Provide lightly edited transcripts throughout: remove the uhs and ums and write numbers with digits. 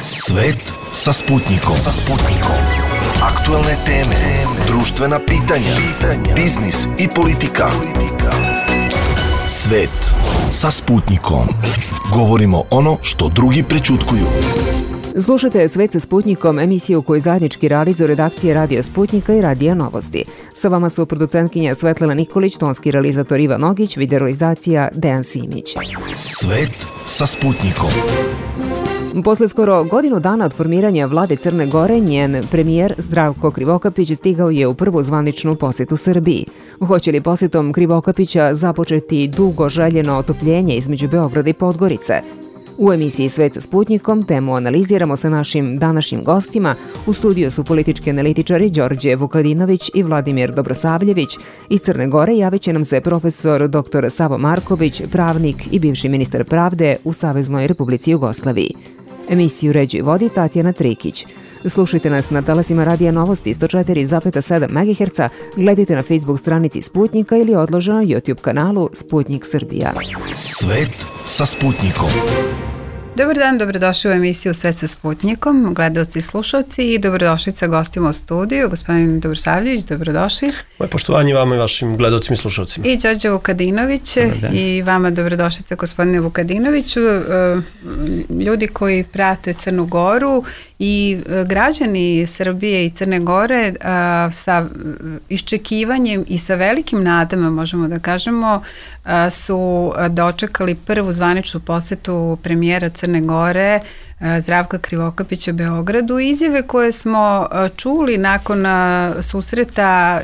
Svet sa Sputnikom. Aktualne teme, društvena pitanja, biznis i politika. Svet sa Sputnikom. Govorimo ono što drugi prećutkuju. Slušajte Svet sa Sputnikom, emisiju koju zajednički realizuju redakcije Radio Sputnika i Radija Novosti. Sa vama su producentkinja Svetlana Nikolić, tonski realizator Ivan Ogić, videorealizacija Dejan Simić. Svet sa Sputnikom. Posle skoro godinu dana od formiranja vlade Crne Gore, njen premijer Zdravko Krivokapić stigao je u prvu zvaničnu posetu Srbiji. Hoće li posjetom Krivokapića započeti dugo željeno otopljenje između Beograda i Podgorice? U emisiji Svet sa Sputnikom temu analiziramo sa našim današnjim gostima. U studiju su politički analitičari Đorđe Vukadinović i Vladimir Dobrosavljević. Iz Crne Gore javit će nam se profesor dr. Savo Marković, pravnik i bivši ministar pravde u Saveznoj Republici Jugoslaviji. Emisiju ređi i vodi Tatjana Trikić. Slušajte nas na talasima Radija Novosti 104,7 MHz, gledajte na Facebook stranici Sputnika ili odloženo na YouTube kanalu Sputnik Srbija. Svet sa Sputnikom. Dobar dan, dobrodošli u emisiju Svet sa Sputnikom, gledalci i slušalci, i dobrodošli sa gostima u studiju, gospodin Dobrosavljević, dobrodošli. Moje poštovanje vama i vašim gledalcima i slušalcima. I Đorđe Vukadinović, i vama dobrodošlica gospodine Vukadinoviću. Ljudi koji prate Crnu Goru i građani Srbije i Crne Gore sa iščekivanjem i sa velikim nadama, možemo da kažemo, su dočekali prvu zvaničnu posetu premijera Crne Gore Zdravka Krivokapića Beogradu. Izjave koje smo čuli nakon susreta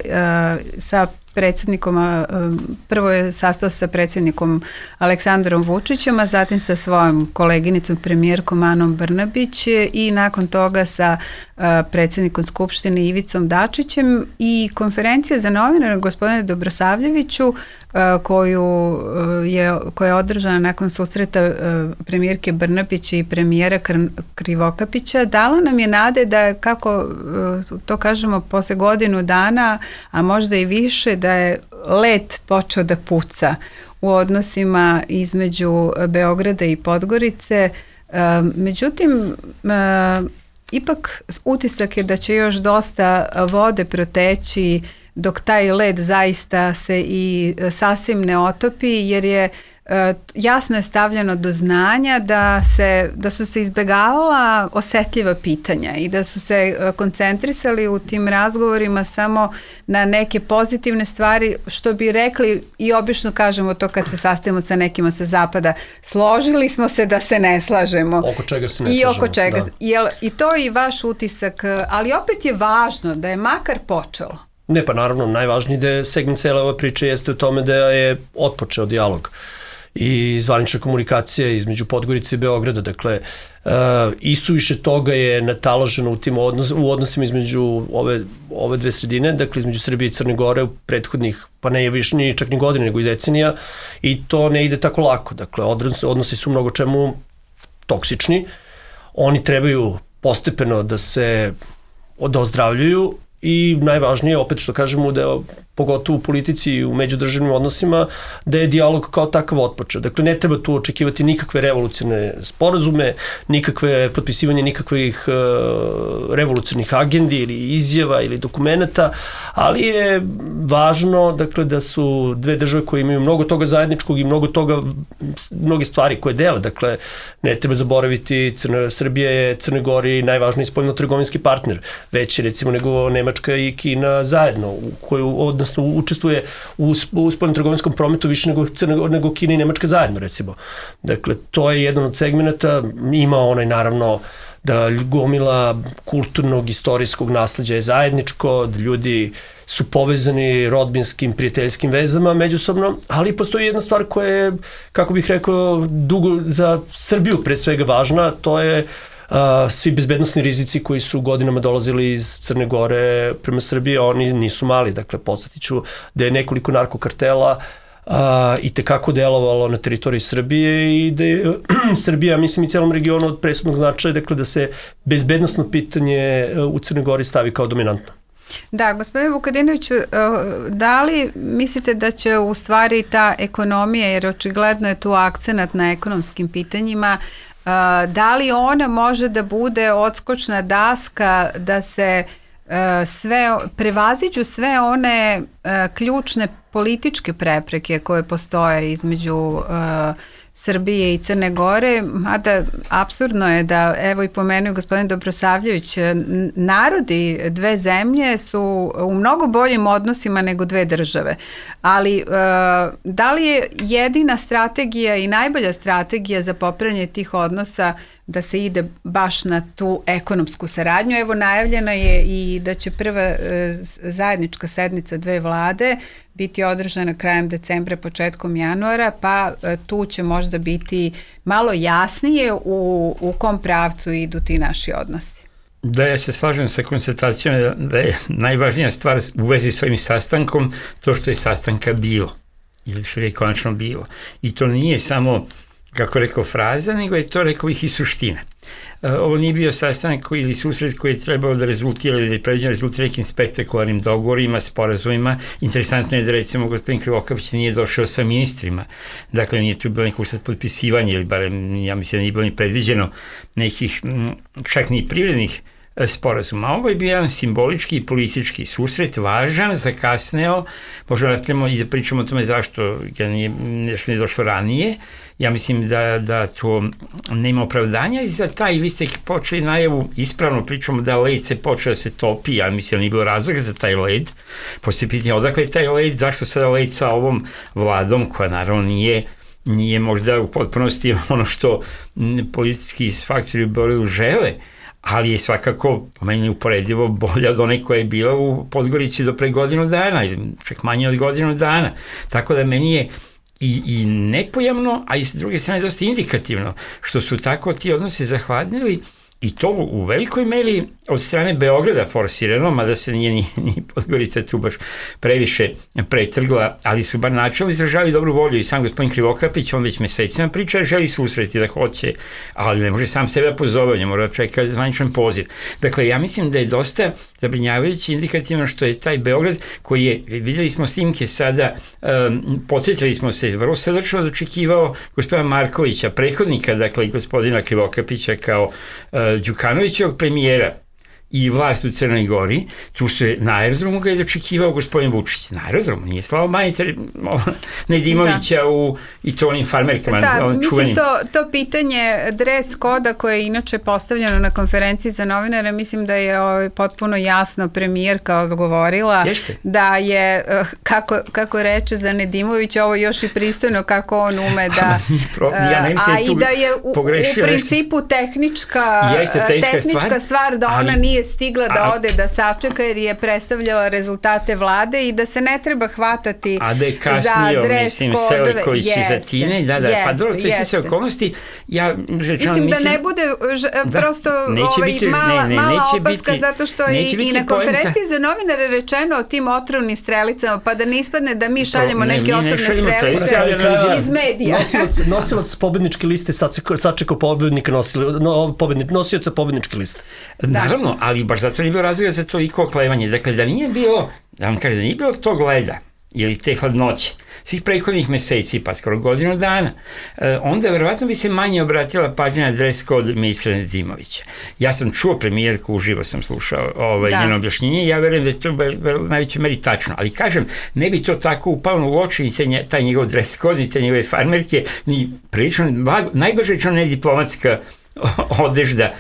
sa predsjednikom, prvo je sastao sa predsjednikom Aleksandrom Vučićem, a zatim sa svojom koleginicom premijerkom Anom Brnabić i nakon toga sa predsjednikom Skupštine Ivicom Dačićem, i konferencija za novinare gospodine Dobrosavljeviću koja je održana nakon susreta premijerke Brnabić i premijera Krivokapića dala nam je nade da, kako to kažemo, posle godinu dana, a možda i više, da je led počeo da puca u odnosima između Beograda i Podgorice. Međutim, ipak utisak je da će još dosta vode proteći dok taj led zaista se i sasvim ne otopi, jer je jasno je stavljeno do znanja da su se izbegavala osetljiva pitanja i da su se koncentrisali u tim razgovorima samo na neke pozitivne stvari, što bi rekli i obično kažemo to kad se sastavimo sa nekima sa zapada, složili smo se da se ne slažemo. Oko čega se ne slažemo. I oko čega. I to je i vaš utisak, ali opet je važno da je makar počelo. Ne, pa naravno, najvažniji da je segment cele ove priče jeste u tome da je otpočeo dijalog i zvanična komunikacija između Podgorice i Beograda. Dakle, isuviše toga je nataloženo u odnosima između ove dve sredine, dakle između Srbije i Crne Gore u prethodnih, pa ne je više ni čak ni godine, nego i decenija, i to ne ide tako lako. Dakle, odnosi su mnogo čemu toksični, oni trebaju postepeno da se ozdravljuju, i najvažnije, opet što kažemo, da je pogotovo u politici i u međudržavnim odnosima, da je dijalog kao takav otpočeo. Dakle, ne treba tu očekivati nikakve revolucionarne sporazume, nikakve potpisivanje nikakvih revolucionarnih agendi ili izjava ili dokumenata, ali je važno, dakle, da su dve države koje imaju mnogo toga zajedničkog i mnoge stvari koje dele. Dakle, ne treba zaboraviti, Srbija je Crnoj Gori najvažniji spoljno-trgovinski partner, veći recimo nego Nemačka i Kina zajedno, odnosno učestvuje u spoljno-trgovinskom prometu više nego Kina i Nemačka zajedno, recimo. Dakle, to je jedan od segmenata. Ima onaj, naravno, da gomila kulturnog, istorijskog nasleđa je zajedničko, da ljudi su povezani rodbinskim, prijateljskim vezama međusobno, ali postoji jedna stvar koja je, kako bih rekao, dugo za Srbiju pre svega važna, to je svi bezbednosni rizici koji su godinama dolazili iz Crne Gore prema Srbiji, oni nisu mali. Dakle, podsjetit ću da je nekoliko narkokartela i tekako delovalo na teritoriji Srbije i da je Srbija, mislim, i celom regionu od presudnog značaja, dakle, da se bezbednosno pitanje u Crnoj Gori stavi kao dominantno. Da, gospodine Vukadinoviću, da li mislite da će u stvari ta ekonomija, jer očigledno je tu akcenat na ekonomskim pitanjima, Da li ona može da bude odskočna daska da se prevaziđu sve one ključne političke prepreke koje postoje između Srbije i Crne Gore, mada apsurdno je da, evo i pomenuo gospodin Dobrosavljević, narodi dve zemlje su u mnogo boljim odnosima nego dve države, ali da li je jedina strategija i najbolja strategija za popravljanje tih odnosa da se ide baš na tu ekonomsku saradnju? Evo, najavljena je i da će prva zajednička sednica dve vlade biti održana krajem decembra, početkom januara, pa tu će možda biti malo jasnije u kom pravcu idu ti naši odnosi. Da, ja se slažem sa konstatacijom da je najvažnija stvar u vezi s ovim sastankom to što je sastanka bilo, ili što je konačno bilo. I to nije samo, kako rekao, fraza, nego je to, rekao ih, i suština. Ovo nije bio sastanak ili susret koji je trebao da rezultira ili da je predviđen rezultira nekim spektakularnim dogovorima, sporazumima. Interesantno je da, recimo, gospodin Krivokapić nije došao sa ministrima, dakle nije tu bilo nekog sad potpisivanja, ili barem, ja mislim da nije bilo ni predviđeno nekih, čak ni privrednih sporazuma. Ovo je bio jedan simbolički i politički susret, važan, zakasneo, možda nastavljamo i da pričamo o tome zašto ga nije došlo ranije. Ja mislim da to nema opravdanja i za taj, vi ste počeli najavu, ispravno pričamo da led se počeo da se topi, ja mislim da nije bilo razloga za taj led, poslije pitanje odakle je taj led, zašto sada led sa ovom vladom, koja naravno nije možda u potpunosti ono što politički faktori u Beogradu žele, ali je svakako, po meni, uporedivo bolja od one koja je bila u Podgorici do pre godinu dana, ili čak manje od godinu dana. Tako da meni je i nepojamno, a i s druge strane dosta indikativno, što su tako ti odnosi zahladnili, i to u velikoj meri od strane Beograda forsirano, mada se nije ni Podgorica tu baš previše pretrgla, ali su bar načelno izražavali dobru volju i sam gospodin Krivokapić, on već mesecima priča, želi susreti da hoće, ali ne može sam sebe pozove, ne mora čekati zvaničan poziv. Dakle, ja mislim da je dosta zabrinjavajuće indikativno što je taj Beograd, koji je, vidjeli smo snimke sada, podsjetili smo se, vrlo srdačno dočekivao gospodina Markovića, prethodnika, dakle, gospodina Krivokapića kao Đukanovićevog premijera i vlast u Crnoj Gori, tu se na aerodromu ga je dočekivao gospodin Vučić. Na aerodromu, nije slao Maniter Nedimovića i to onim farmerkama. Mislim, to pitanje dres koda koje je inače postavljeno na konferenciji za novinare, mislim da je potpuno jasno premijerka odgovorila da je, kako reče za Nedimovića, ovo još i pristojno kako on ume da... a i da je u principu tehnička stvar da ona nije stigla da ode da sačeka jer je predstavljala rezultate vlade i da se ne treba hvatati za dres kodove. A da je kasnio, mislim, Seliković iz Atine, pa dobro, to je sve okolnosti. Mislim da ne bude prosto mala opaska, zato što i na konferenciji za novinare rečeno o tim otrovnim strelicama, pa da ne ispadne da mi šaljemo neke otrovne strelice iz medija. Nosilac pobedničke liste sačekao nosioca pobedničke liste. Naravno, ali baš zato nije bilo razloga za toliko oklevanje. Dakle, da nije bilo, da vam kažem, da nije bilo tog leda ili te hladnoće svih prethodnih meseci, pa skoro godinu dana, onda verovatno bi se manje obratila pažnja na dres kod ministra Nedimovića. Ja sam čuo premijerku, uživo sam slušao njeno objašnjenje i ja verujem da je to u najvećoj meri tačno, ali kažem, ne bi to tako upalo u oči ni taj njegov dres kod, ni te njegove farmerke, ni prilično, najbolje rečeno nediplomatska odežda,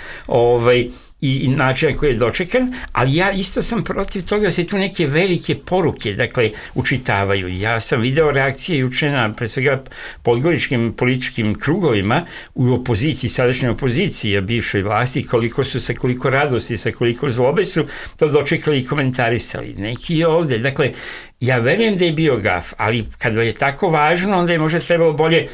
i način koji je dočekan, ali ja isto sam protiv toga da se tu neke velike poruke, dakle, učitavaju. Ja sam video reakcije juče na, pre svega, podgoričkim političkim krugovima u opoziciji, sadašnjoj opoziciji, a bivšoj vlasti, koliko su sa koliko radosti, sa koliko zlobe su to dočekali i komentarisali. Neki ovde, dakle, ja verujem da je bio gaf, ali kada je tako važno, onda je možda trebalo bolje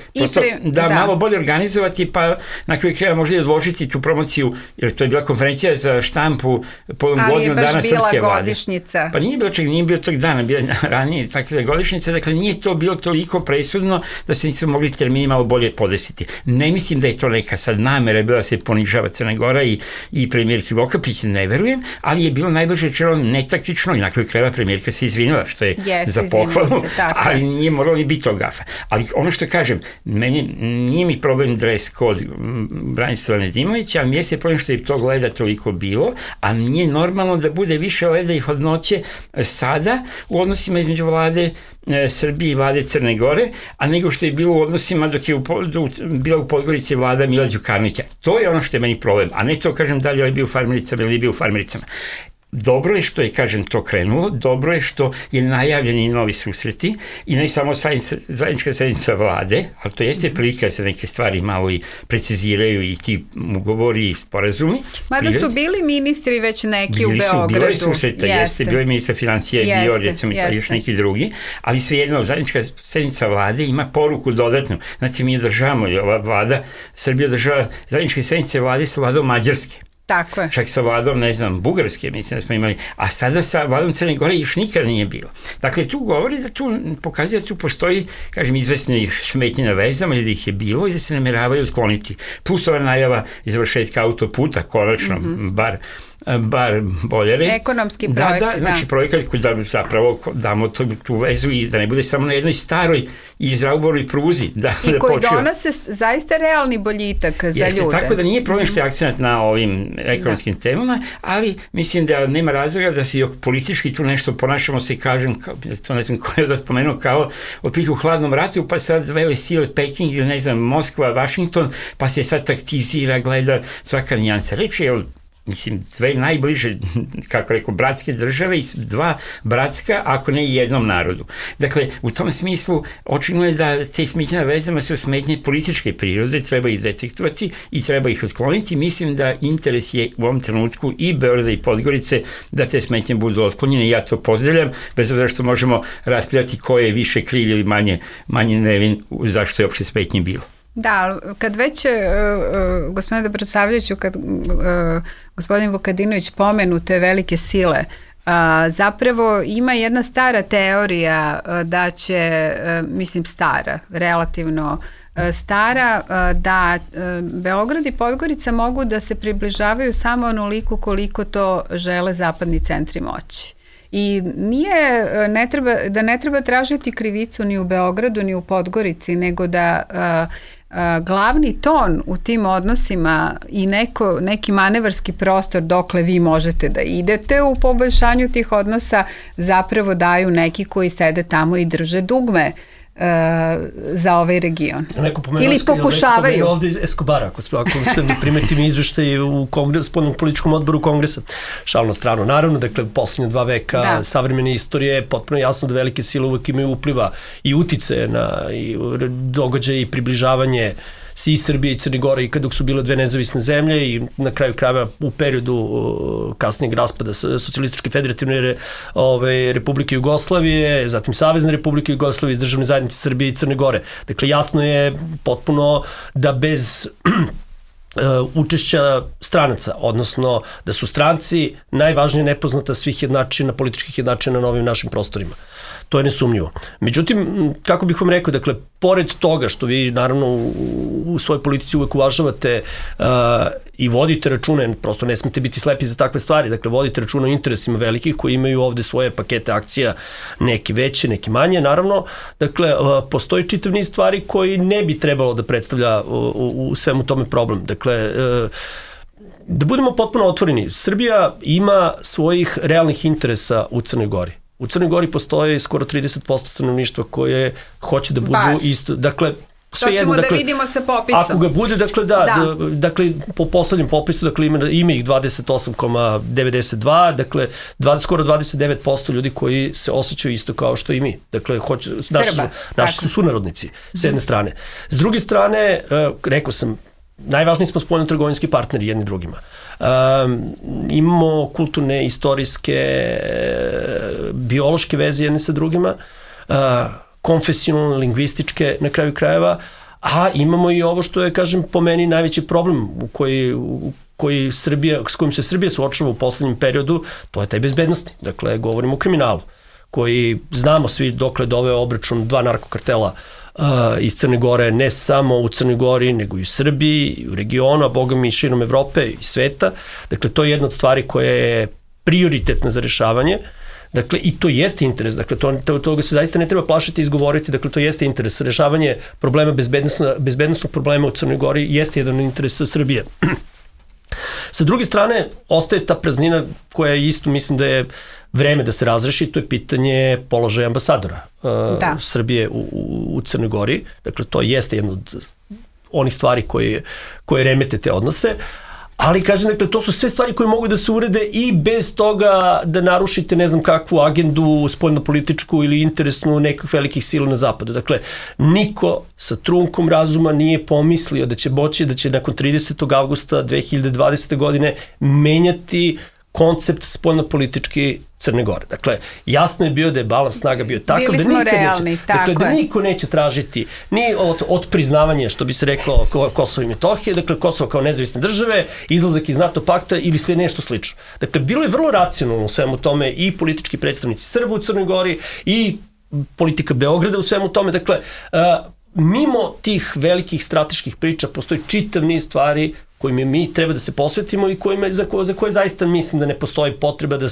malo bolje organizovati, pa na kraju kraja možda i odložiti tu promociju, jer to je bila konferencija za štampu povodom godinu dana srpske vlade. Ali je baš bila godišnjica. Pa nije bilo tog dana, bila ranije takva godišnjica, dakle nije to bilo toliko presudno da se nisu mogli termini malo bolje podesiti. Ne mislim da je to neka sad namera bila da se ponižava Crna Gora i premijer Krivokapić, ne verujem, ali je bilo najbolje rečeno netaktično i na kraju kraja premijerka se izvinila, što je je za pohvalu, ali nije moralo ni biti tog gafa. Ali ono što kažem, nije mi problem dres kod Branislava Nedimovića, ali mi jeste problem što je tog leda toliko bilo, a nije normalno da bude više leda i hladnoće sada u odnosima između vlade Srbije i vlade Crne Gore, a nego što je bilo u odnosima dok je bila u Podgorici vlada Mila Đukanovića. To je ono što je meni problem, a ne to kažem da li je bio u farmericama ili bio u farmericama. Dobro je što je, kažem, to krenulo, dobro je što je najavljeni novi susreti i ne samo zajednička sednica vlade, ali to jeste prilika da se neke stvari malo i preciziraju i ti ugovori i sporazumi. Mada su bili ministri već neki u Beogradu. Bili su susreta, jeste, bio je ministar financija, bio recimo i još neki drugi, ali svejedno, zajednička sednica vlade ima poruku dodatnu. Znači, mi održavamo, ova vlada, Srbija održava zajedničke sednice vlade sa vladom Mađarske. Tako je. Čak sa vladom, ne znam, Bugarske, mislim da smo imali, a sada sa vladom Crne Gore još nikada nije bilo. Dakle, tu govori da tu, pokazuje da tu postoji, kažem, izvesne smetnje na vezama ili da ih je bilo i da se nameravaju otkloniti. Plus ova najava izvršetka autoputa, konačno, bar boljere. Ekonomski projekat, da. Znači, projekat koji da zapravo damo tu vezu i da ne bude samo na jednoj staroj i izrauboroj pruzi. I koji donose zaista realni boljitak za ljude. Tako da nije problem što je akcent na ovim ekonomskim temama, ali mislim da nema razloga da se politički tu nešto ponašamo se, kažem, to ne znam ko je da spomenuo, kao otprilike u hladnom ratu, pa sad vele sile Peking ili ne znam, Moskva, Vašington, pa se sad taktizira, gleda svaka nijansa. Reći je mislim, dve najbliže, kako rekao, bratske države i dva bratska, ako ne i jednom narodu. Dakle, u tom smislu, očigledno je da te smetnje na vezama su smetnje političke prirode, treba ih detektovati i treba ih otkloniti. Mislim da interes je u ovom trenutku i Beograda i Podgorice da te smetnje budu otklonjene. Ja to pozdravljam, bez obzira što možemo raspravljati ko je više kriv ili manje nevin zašto je uopšte smetnje bilo. Da, kad već, gospodine Dobrosavljeviću, kad gospodin Vukadinović pomenu te velike sile, zapravo ima jedna stara teorija da će, mislim stara, relativno stara, da Beograd i Podgorica mogu da se približavaju samo onoliko koliko to žele zapadni centri moći. I ne treba tražiti krivicu ni u Beogradu ni u Podgorici, nego da glavni ton u tim odnosima i neki manevarski prostor dokle vi možete da idete u poboljšanju tih odnosa zapravo daju neki koji sede tamo i drže dugme za ovaj region. Ili pokušavaju. Neko ovde iz Escobara, ako primetim izveštaj u spoljnom političkom odboru Kongresa. Šal na stranu. Naravno, dakle, poslednje 2 veka savremene istorije je potpuno jasno da velike sile uvek imaju upliva i utice na događaje i približavanje i Srbije i Crne Gore i kada su bile dve nezavisne zemlje i na kraju krajeva u periodu kasnijeg raspada Socijalističke federativne Republike Jugoslavije, zatim Savezne Republike Jugoslavije iz Državne zajednice Srbije i Crne Gore. Dakle, jasno je potpuno da bez učešća stranaca, odnosno da su stranci najvažnije nepoznata svih jednačina, političkih jednačina na ovim našim prostorima. To je nesumnjivo. Međutim, kako bih vam rekao, dakle, pored toga što vi naravno u svojoj politici uvek uvažavate i vodite račune, prosto ne smete biti slepi za takve stvari, dakle, vodite račune o interesima velikih koji imaju ovde svoje pakete akcija, neki veće, neki manje, naravno, dakle, postoji čitav niz stvari koji ne bi trebalo da predstavlja u svemu tome problem. Dakle, da budemo potpuno otvoreni, Srbija ima svojih realnih interesa u Crnoj Gori. U Crnoj Gori postoje skoro 30% stanovništva koje hoće da budu isto, dakle, sve jedno, dakle, da vidimo sa popisom. Ako ga bude, dakle, dakle, po poslednjem popisu, dakle, ima ih 28,92, dakle, skoro 29% ljudi koji se osjećaju isto kao što i mi. Dakle, naši su sunarodnici, s jedne strane. S druge strane, rekao sam, najvažniji smo spoljno-trgovinski partneri jedni drugima. Imamo kulturne, istorijske, biološke veze jedne sa drugima, konfesionalne, lingvističke na kraju krajeva, a imamo i ovo što je, kažem, po meni najveći problem s kojim se Srbija suočava u poslednjem periodu, to je taj bezbednosti. Dakle, govorimo o kriminalu, koji znamo svi dokle doveo obračun 2 narkokartela iz Crne Gore, ne samo u Crnoj Gori, nego i u Srbiji, i u regionu, a boga mi i širom Evrope i sveta. Dakle, to je jedna od stvari koja je prioritetna za rešavanje. Dakle, i to jeste interes, dakle, toga se zaista ne treba plašiti i izgovoriti, dakle, to jeste interes. Rešavanje problema, bezbednostnog problema u Crnoj Gori jeste jedan interes Srbije. Sa druge strane, ostaje ta praznina koja isto mislim da je vreme da se razreši, to je pitanje položaja ambasadora Srbije u Crnoj Gori. Dakle, to jeste jedno od onih stvari koje remete te odnose. Ali, kažem, dakle, to su sve stvari koje mogu da se urede i bez toga da narušite ne znam kakvu agendu spoljnopolitičku ili interesnu nekih velikih sila na zapadu. Dakle, niko sa trunkom razuma nije pomislio da će nakon 30. avgusta 2020. godine menjati koncept spoljnopolitički Crne Gore. Dakle, jasno je bio da je balans snaga bio tako da niko neće tražiti ni od priznavanja, što bi se reklo, Kosova i Metohije, dakle, Kosovo kao nezavisne države, izlazak iz NATO pakta ili sve nešto slično. Dakle, bilo je vrlo racionalno u svemu tome i politički predstavnici Srba u Crnoj Gori i politika Beograda u svemu tome. Dakle, mimo tih velikih strateških priča postoji čitav niz stvari kojima mi treba da se posvetimo i za koje zaista mislim da ne postoji potreba da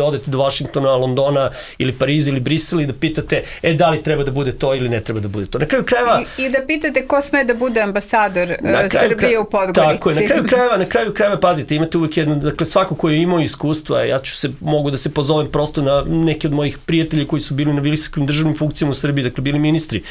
odete do Vašingtona, Londona ili Pariza ili Brisela i da pitate da li treba da bude to ili ne treba da bude to. Na kraju krajeva... I da pitate ko sme da bude ambasador Srbije u Podgorici. Tako je, na kraju krajeva, pazite, imate uvijek jedno, dakle svako ko je imao iskustva, mogu da se pozovem prosto na neke od mojih prijatelja koji su bili na visokim državnim funkcijama u Srbiji, dakle bili ministri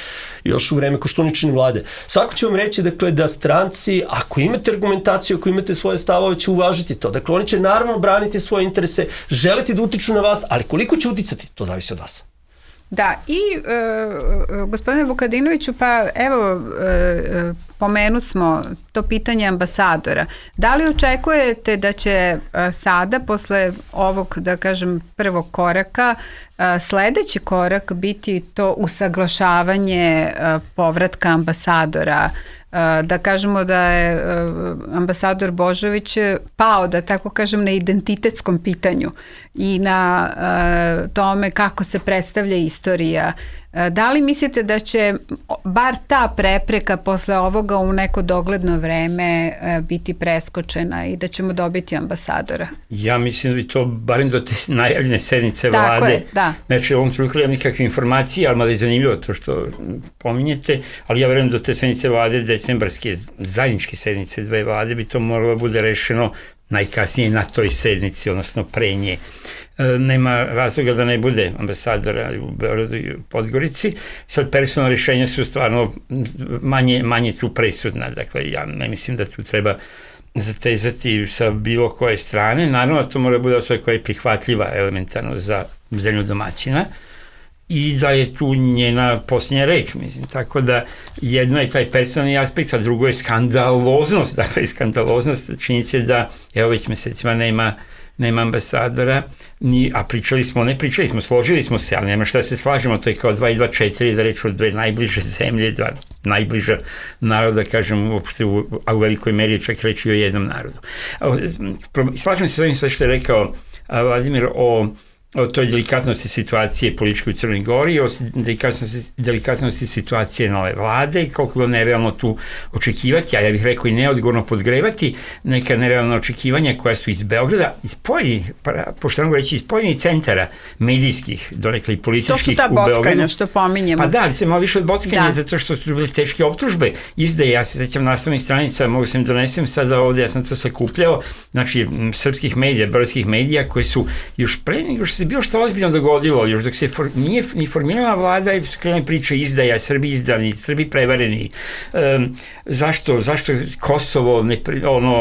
još u vreme Koštuničine vlade. Svako će vam reći, dakle, da stranci, ako imate argumentaciju, ako imate svoje stavove, će uvažiti to. Dakle, oni će naravno braniti svoje interese, želiti da utiču na vas, ali koliko će uticati, to zavisi od vas. Da, i gospodine Vukadinoviću, pa evo, pomenu smo to pitanje ambasadora. Da li očekujete da će sada, posle ovog, da kažem, prvog koraka, sledeći korak biti to usaglašavanje povratka ambasadora? Da kažemo da je ambasador Božović pao, da tako kažem, na identitetskom pitanju i na tome kako se predstavlja istorija. Da li mislite da će bar ta prepreka posle ovoga u neko dogledno vreme biti preskočena i da ćemo dobiti ambasadora? Ja mislim da bi to barem do te najavljene sednice vlade. Tako je, da. Znači, u ovom trenutku nemam nikakve informacije, ali malo je zanimljivo to što pominjete, ali ja verujem do te sednice vlade, decembarske zajedničke sednice dve vlade, bi to moralo bude rešeno najkasnije na toj sednici, odnosno pre nje. Nema razloga da ne bude ambasadora u Beogradu i u Podgorici. Sad, personalne rješenja su stvarno manje tu presudna. Dakle, ja ne mislim da tu treba zatezati sa bilo koje strane. Naravno, to mora bude osoba koja je prihvatljiva elementarno za zemlju domaćina i da je tu njena posljednja reč, mislim. Tako da jedno je taj personalni aspekt, a drugo je skandaloznost. Dakle, skandaloznost činjenica da evo već mesecima nema ambasadora, a pričali smo, složili smo se, ali nema šta se slažemo, to je kao 2 i 2 4, da reći od dve najbliže zemlje, dva najbliža naroda, kažem, uopšte, a u velikoj meri čak reći o jednom narodu. Slažem se s ovim sve što je rekao Vladimir o toj delikatnosti situacije političke u Crnoj Gori, o delikatnosti situacije nove vlade i koliko je bilo nerealno tu očekivati, a ja bih rekao i neodgovorno podgrevati neka nerealna očekivanja koja su iz Beograda, iz pojedinih, pošto mogu reći, iz pojedinih centara medijskih, donekle i političkih u Beogradu. To su ta bockanja što pominjemo. Pa da, to je malo više od bockanja, zato što su bile teške optužbe. Izdaje, ja se sećam naslovnih stranica, mogu sam donesem sada ovde, ja sam to sakupljao, znači srpskih medija, beogradskih medija koji su još pre nego što se bilo što ozbiljno dogodilo, još dok se nije ni formirala vlada i krenuli priče izdaja, Srbi izdani, Srbi prevareni, zašto Kosovo,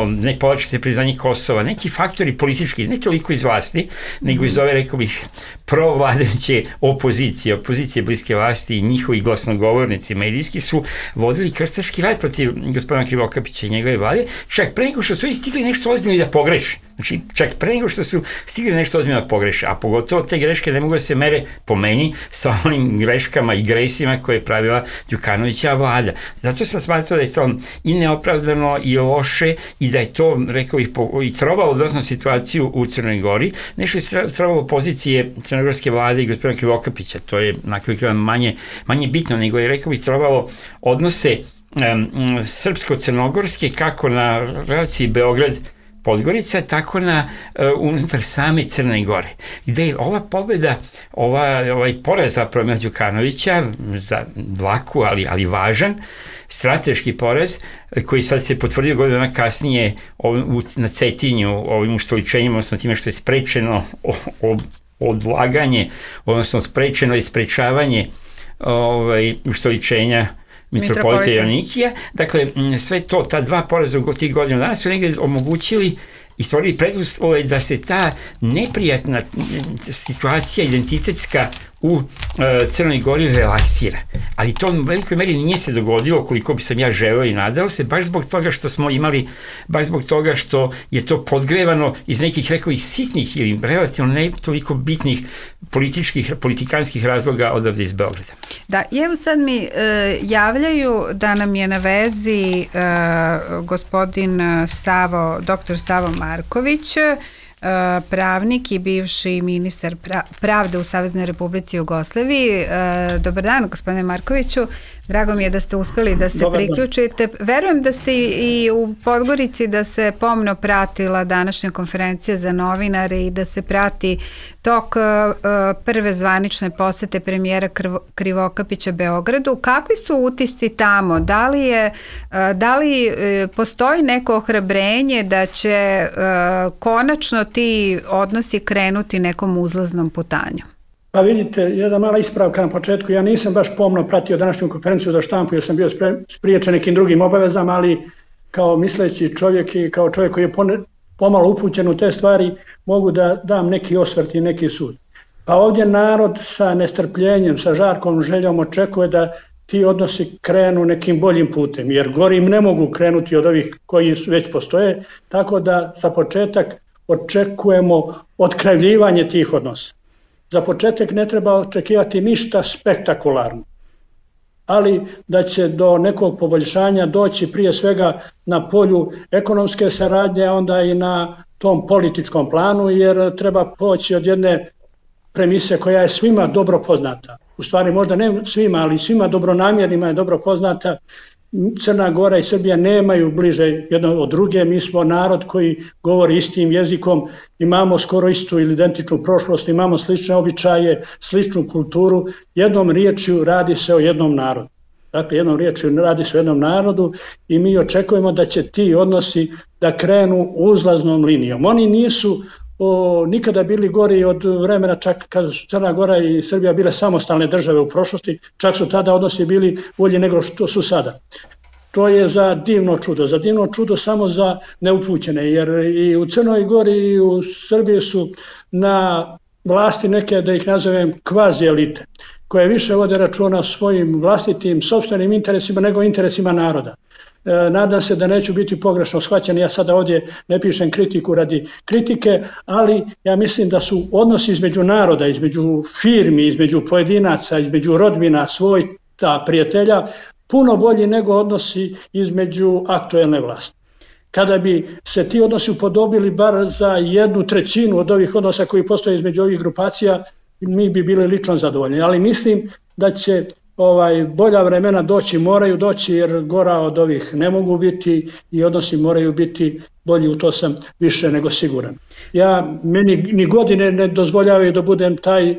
ne povlači se priznanje Kosova, neki faktori politički, ne toliko iz vlasti, nego iz ove, rekao bih, provladajuće opozicije bliske vlasti i njihovi glasnogovornici medijski su vodili krstaški rat protiv gospodina Krivokapića i njegove vlade, čak pre nego što su stigli nešto ozbiljno i da pogreše. Znači, čak pre nego što su stigli nešto ozbiljno da pogreše, a pogotovo te greške ne mogu da se mere po meni sa onim greškama i gresima koje je pravila Đukanovićeva vlada. Zato sam smatrao da je to i neopravdano i loše i da je to, rekao bih, i trovalo doslovno situaciju u Crnoj Gori. Nešto je trovalo pozicije crnogorske vlade i gospodina Krivokapića, to je na kraju krajeva manje bitno, nego je, rekao bih, trovalo odnose srpsko-crnogorske kako na relaciji Podgorica, tako unutar same Crne Gore. Gde je ova pobjeda, ovaj poraz zapravo Mila Đukanovića, za dlaku, ali važan, strateški poraz, koji sad se potvrdio godinu dana kasnije na Cetinju, ovim ustoličenjem, odnosno time što je sprečeno odlaganje, odnosno sprečeno je sprečavanje ustoličenja mitropolita Joanikija. Dakle, sve to, ta dva poraza u tih godina dana su negdje omogućili i stvorili preduslove da se ta neprijatna situacija identitetska u Crnoj Gori relaksira. Ali to u velikoj meri nije se dogodilo koliko bi sam ja želeo i nadao se, baš zbog toga što smo imali, baš zbog toga što je to podgrevano iz nekih, rekao ih, sitnih ili relativno ne toliko bitnih politikanskih razloga odavde iz Beograda. Da, evo sad mi javljaju da nam je na vezi gospodin dr. Savo Marković, pravnik i bivši ministar pravde u Saveznoj Republici Jugoslaviji. Dobar dan, gospodine Markoviću. Drago mi je da ste uspeli da se priključite. Verujem da ste i u Podgorici, da se pomno pratila današnja konferencija za novinare i da se prati tok prve zvanične posete premijera Krivokapića Beogradu. Kakvi su utisci tamo? Da li postoji neko ohrabrenje da će konačno ti odnosi krenuti nekom uzlaznom putanju? Pa vidite, jedna mala ispravka na početku, ja nisam baš pomno pratio današnju konferenciju za štampu, jer sam bio spriječen nekim drugim obavezama, ali kao misleći čovjek i kao čovjek koji je pomalo upućen u te stvari, mogu da dam neki osvrt i neki sud. Pa ovdje narod sa nestrpljenjem, sa žarkom željom očekuje da ti odnosi krenu nekim boljim putem, jer gorim ne mogu krenuti od ovih koji već postoje, tako da za početak očekujemo otkrivljivanje tih odnosa. Za početak ne treba očekivati ništa spektakularno, ali da će do nekog poboljšanja doći prije svega na polju ekonomske saradnje, a onda i na tom političkom planu, jer treba poći od jedne premise koja je svima dobro poznata. U stvari možda ne svima, ali svima dobronamjernima je dobro poznata. Crna Gora i Srbija nemaju bliže jedno od druge, mi smo narod koji govori istim jezikom, imamo skoro istu ili identičnu prošlost, imamo slične običaje, sličnu kulturu, jednom riječju radi se o jednom narodu. Dakle, jednom riječju radi se o jednom narodu i mi očekujemo da će ti odnosi da krenu uzlaznom linijom. Oni nisu nikada bili gori od vremena čak kad su Crna Gora i Srbija bile samostalne države u prošlosti, čak su tada odnosi bili bolji nego što su sada. To je za divno čudo samo za neupućene, jer i u Crnoj Gori i u Srbiji su na vlasti neke, da ih nazovem, kvazi elite, koje više vode računa o svojim vlastitim, sopstvenim interesima nego interesima naroda. Nadam se da neću biti pogrešno shvaćen, ja sada ovdje ne pišem kritiku radi kritike, ali ja mislim da su odnosi između naroda, između firmi, između pojedinaca, između rodbina, svojta, prijatelja, puno bolji nego odnosi između aktuelne vlasti. Kada bi se ti odnosi upodobili bar za 1/3 od ovih odnosa koji postoje između ovih grupacija, mi bi bili lično zadovoljni, ali mislim da će bolja vremena moraju doći, jer gora od ovih ne mogu biti i odnosi moraju biti bolji, u to sam više nego siguran. Meni ni godine ne dozvoljavaju da budem taj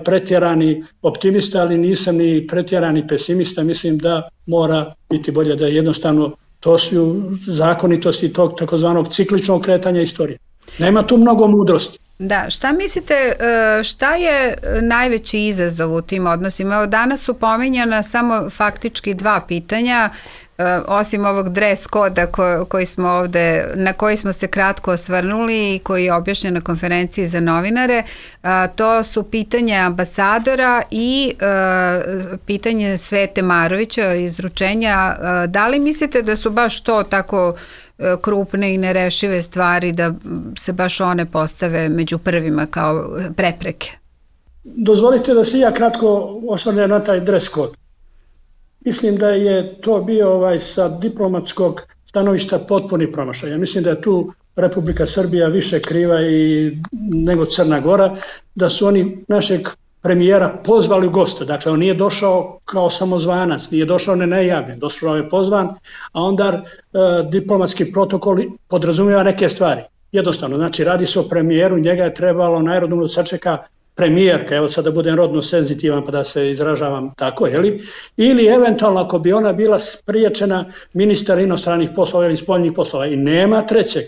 pretjerani optimista, ali nisam ni pretjerani pesimista, mislim da mora biti bolje, da jednostavno to su zakonitosti tog takozvanog cikličnog kretanja istorije. Nema tu mnogo mudrosti. Da, šta mislite, šta je najveći izazov u tim odnosima? Evo, danas su pominjana samo faktički dva pitanja, osim ovog dress koda na koji smo se kratko osvrnuli i koji je objašnjen na konferenciji za novinare. To su pitanje ambasadora i pitanje Svete Marovića, izručenja. Da li mislite da su baš to tako krupne i nerešive stvari, da se baš one postave među prvima kao prepreke? Dozvolite da se ja kratko osvrnem na taj dress code. Mislim da je to bio sa diplomatskog stanovišta potpuni promašaj. Ja mislim da je tu Republika Srbija više kriva nego Crna Gora, da su oni našeg premijera pozvali u goste. Dakle, on nije došao kao samozvanac, nije došao nenajavljen, došao je pozvan, a onda diplomatski protokol podrazumijeva neke stvari. Jednostavno, znači radi se o premijeru, njega je trebalo najrodno da sačeka premijerka, evo sad da budem rodno senzitivan pa da se izražavam tako, ili eventualno ako bi ona bila spriječena ministar inostranih poslova ili spoljnih poslova i nema trećeg.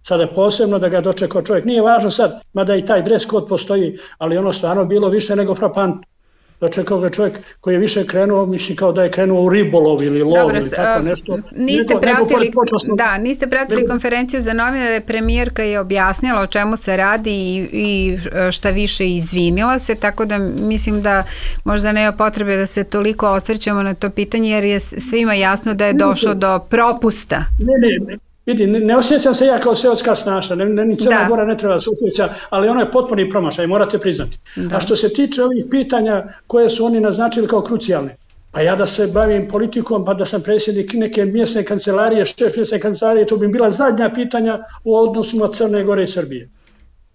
Sada je posebno da ga dočekao čovjek. Nije važno sad, mada i taj dres kod postoji, ali ono stvarno bilo više nego frapantno. Dočekao ga čovjek koji je više krenuo, mislim kao da je krenuo u ribolov ili lov ili tako nešto. Niste pratili konferenciju za novinare, premijerka je objasnila o čemu se radi i šta više izvinila se, tako da mislim da možda nema potrebe da se toliko osvrćemo na to pitanje jer je svima jasno da je došlo do propusta. Ne. Vidi, ne osjećam se ja kao seotska snaša, ni Crna Gora ne treba da se osjeća, ali ono je potpuni promašaj, morate priznati. Da. A što se tiče ovih pitanja koje su oni naznačili kao krucijalne, pa ja da se bavim politikom, pa da sam predsjednik neke mjesne kancelarije, šef mjesne kancelarije, to bi bila zadnja pitanja u odnosima Crne Gore i Srbije.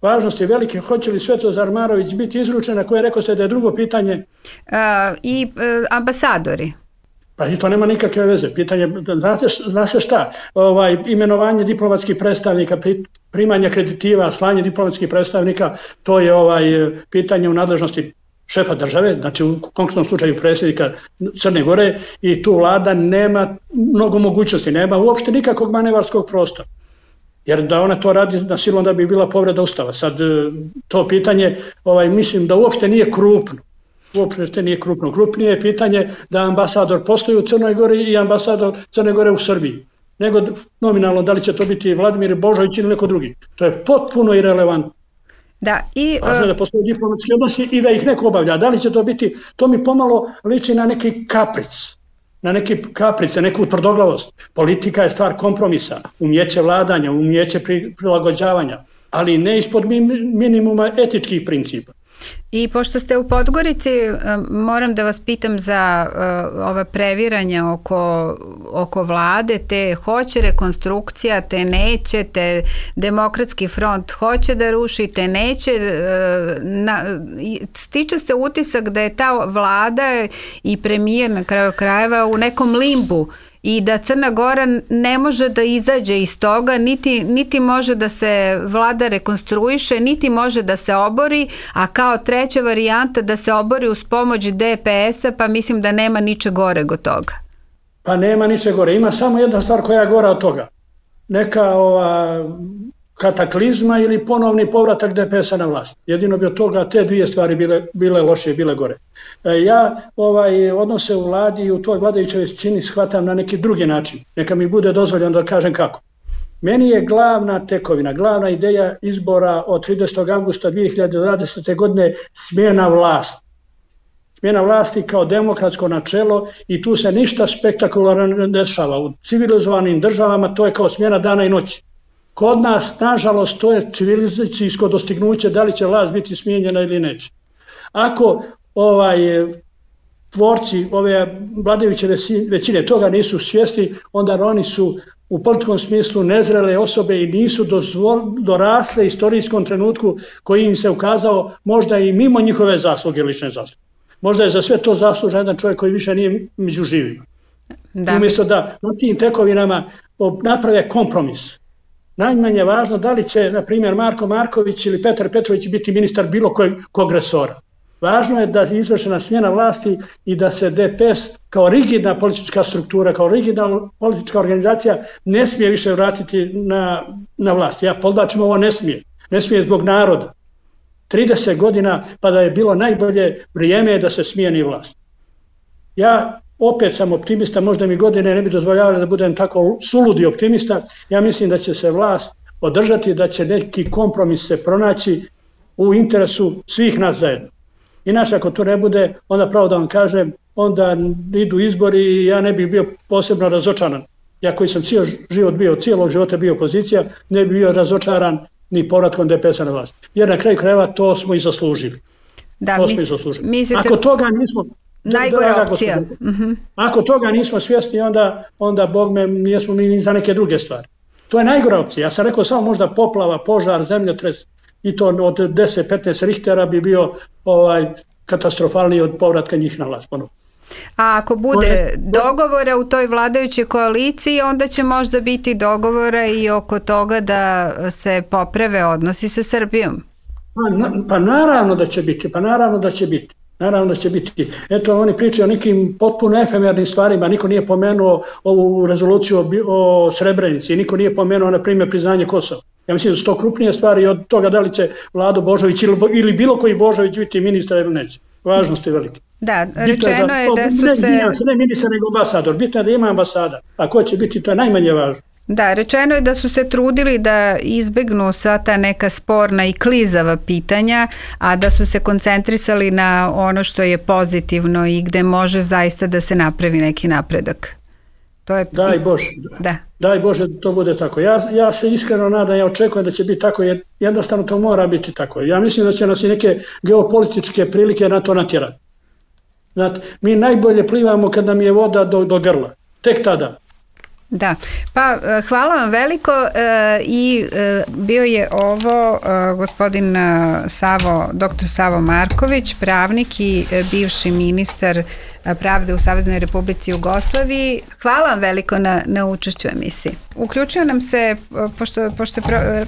Važnost je velike, hoće li Svetozar Marović biti izručena, koje rekao ste da je drugo pitanje? I ambasadori. Pa i to nema nikakve veze. Pitanje, znate šta, imenovanje diplomatskih predstavnika, primanje kreditiva, slanje diplomatskih predstavnika, to je pitanje u nadležnosti šefa države, znači u konkretnom slučaju predsjednika Crne Gore i tu vlada nema mnogo mogućnosti, nema uopšte nikakvog manevarskog prostora. Jer da ona to radi na silu, onda bi bila povreda Ustava. Sad to pitanje, mislim da uopšte nije krupno. Uopšte nije krupno. Krupnije je pitanje da ambasador postoji u Crnoj Gori i ambasador Crne Gore u Srbiji. Nego nominalno da li će to biti Vladimir Božović ili neko drugi. To je potpuno irelevantno. Važno je da postoji diplomatski odnosi i da ih neko obavlja. Da li će to biti, to mi pomalo liči na neki kapric. Na neku tvrdoglavost. Politika je stvar kompromisa, umjeće vladanja, umjeće prilagođavanja, ali ne ispod minimuma etičkih principa. I pošto ste u Podgorici, moram da vas pitam za ova previranja oko vlade, te hoće rekonstrukcija, te neće, te Demokratski front hoće da ruši, te neće. Stiče se utisak da je ta vlada i premijer na kraju krajeva u nekom limbu i da Crna Gora ne može da izađe iz toga, niti može da se vlada rekonstruiše, niti može da se obori, a kao treća varijanta da se obori uz pomoć DPS-a, pa mislim da nema niče goreg od toga. Pa nema niče gore, ima samo jedna stvar koja je gora od toga. Neka kataklizma ili ponovni povratak DPS-a na vlast. Jedino bi od toga te dvije stvari bile loše, bile gore. Ja odnose u vladi i u toj vladajućoj većini shvatam na neki drugi način. Neka mi bude dozvoljeno da kažem kako. Meni je glavna tekovina, glavna ideja izbora od 30. avgusta 2020. godine smjena vlasti. Smjena vlasti kao demokratsko načelo i tu se ništa spektakularno ne dešava. U civilizovanim državama to je kao smjena dana i noći. Kod nas, nažalost, to je civilizacijsko dostignuće da li će vlast biti smijenjena ili neće. Ako tvorci ove vladajuće većine toga nisu svjesni, onda oni su u političkom smislu nezrele osobe i nisu dorasle istorijskom trenutku koji im se ukazao možda i mimo njihove zasluge, lične zasluge. Možda je za sve to zaslužan jedan čovjek koji više nije među živima. Umjesto da na tim tekovinama naprave kompromis. Najmanje je važno da li će, na primjer, Marko Marković ili Petar Petrović biti ministar bilo kog resora. Važno je da je izvršena smjena vlasti i da se DPS kao rigidna politička struktura, kao rigidna politička organizacija ne smije više vratiti na vlast. Ja podlačim ovo ne smije. Ne smije zbog naroda. 30 godina pa da je bilo najbolje vrijeme da se smijeni vlast. Ja opet sam optimista, možda mi godine ne bi dozvoljavali da budem tako suludi optimista. Ja mislim da će se vlast održati, da će neki kompromis se pronaći u interesu svih nas zajedno. Inače, ako to ne bude, onda pravo da vam kažem, onda idu izbori i ja ne bih bio posebno razočaran. Ja koji sam cijelog života bio opozicija, ne bih bio razočaran ni povratkom DPS-a na vlast. Jer na kraju krajeva to smo i zaslužili. Ako toga nismo... Najgora opcija. Ako toga nismo svjesni, onda Bog me, nismo mi za neke druge stvari. To je najgora opcija. Ja sam rekao samo možda poplava, požar, zemljotres i to od 10-15 Richtera bi bio katastrofalniji od povratka njih na vlast ponovno. A ako bude dogovora u toj vladajućoj koaliciji, onda će možda biti dogovora i oko toga da se poprave odnosi sa Srbijom. Pa naravno da će biti, Naravno da će biti. Eto, oni pričaju o nekim potpuno efemernim stvarima, niko nije pomenuo ovu rezoluciju o Srebrenici, niko nije pomenuo, na primjer, priznanje Kosova. Ja mislim da su to krupnije stvari od toga da li će Vlado Božović ili bilo koji Božović biti ministar ili neće. Važnost je velike. Da, rečeno je da su se... Ne ministar, nego ambasador. Bitno je da ima ambasada. A ko će biti, to je najmanje važno. Da, rečeno je da su se trudili da izbegnu sva ta neka sporna i klizava pitanja, a da su se koncentrisali na ono što je pozitivno i gde može zaista da se napravi neki napredak. To je... Daj Bože. Da. Daj Bože da to bude tako. Ja se iskreno nadam, ja očekujem da će biti tako, jer jednostavno to mora biti tako. Ja mislim da će nas i neke geopolitičke prilike na to natjerati. Znate, mi najbolje plivamo kad nam je voda do grla. Tek tada. Da, pa hvala vam veliko i bio je ovo gospodin dr. Savo Marković, pravnik i bivši ministar pravde u Saveznoj Republici Jugoslaviji. Hvala vam veliko na učešću u emisiji. Uključio nam se, pošto je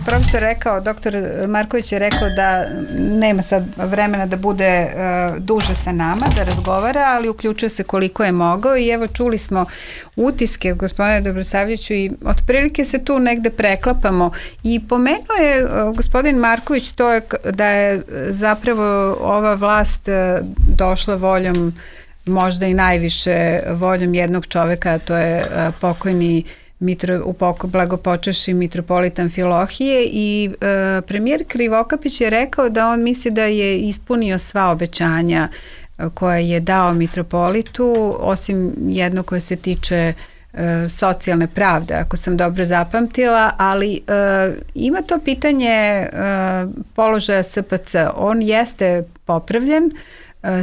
profesor rekao, dr. Marković je rekao da nema sad vremena da bude duže sa nama, da razgovara, ali uključio se koliko je mogao i evo čuli smo utiske gospodine Dobrosavljeviću i otprilike se tu negde preklapamo i pomenuo je gospodin Marković to je da je zapravo ova vlast došla voljom, možda i najviše voljom jednog čoveka, a to je pokojni blagopočevši mitropolita Amfilohije i premijer Krivokapić je rekao da on misli da je ispunio sva obećanja koje je dao mitropolitu, osim jedno koje se tiče socijalne pravde, ako sam dobro zapamtila, ali ima to pitanje položaja SPC. On jeste popravljen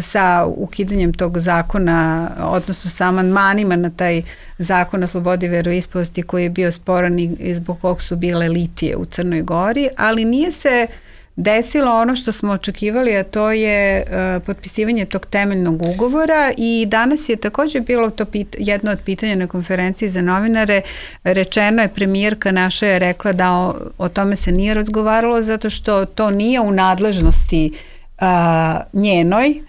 sa ukidanjem tog zakona, odnosno sa amandmanima na taj zakon o slobodi veroispovesti koji je bio sporan i zbog kog su bile litije u Crnoj Gori, ali nije se desilo ono što smo očekivali, a to je potpisivanje tog temeljnog ugovora i danas je također bilo to jedno od pitanja na konferenciji za novinare. Rečeno je, premijerka naša je rekla da o tome se nije razgovaralo zato što to nije u nadležnosti njenoj,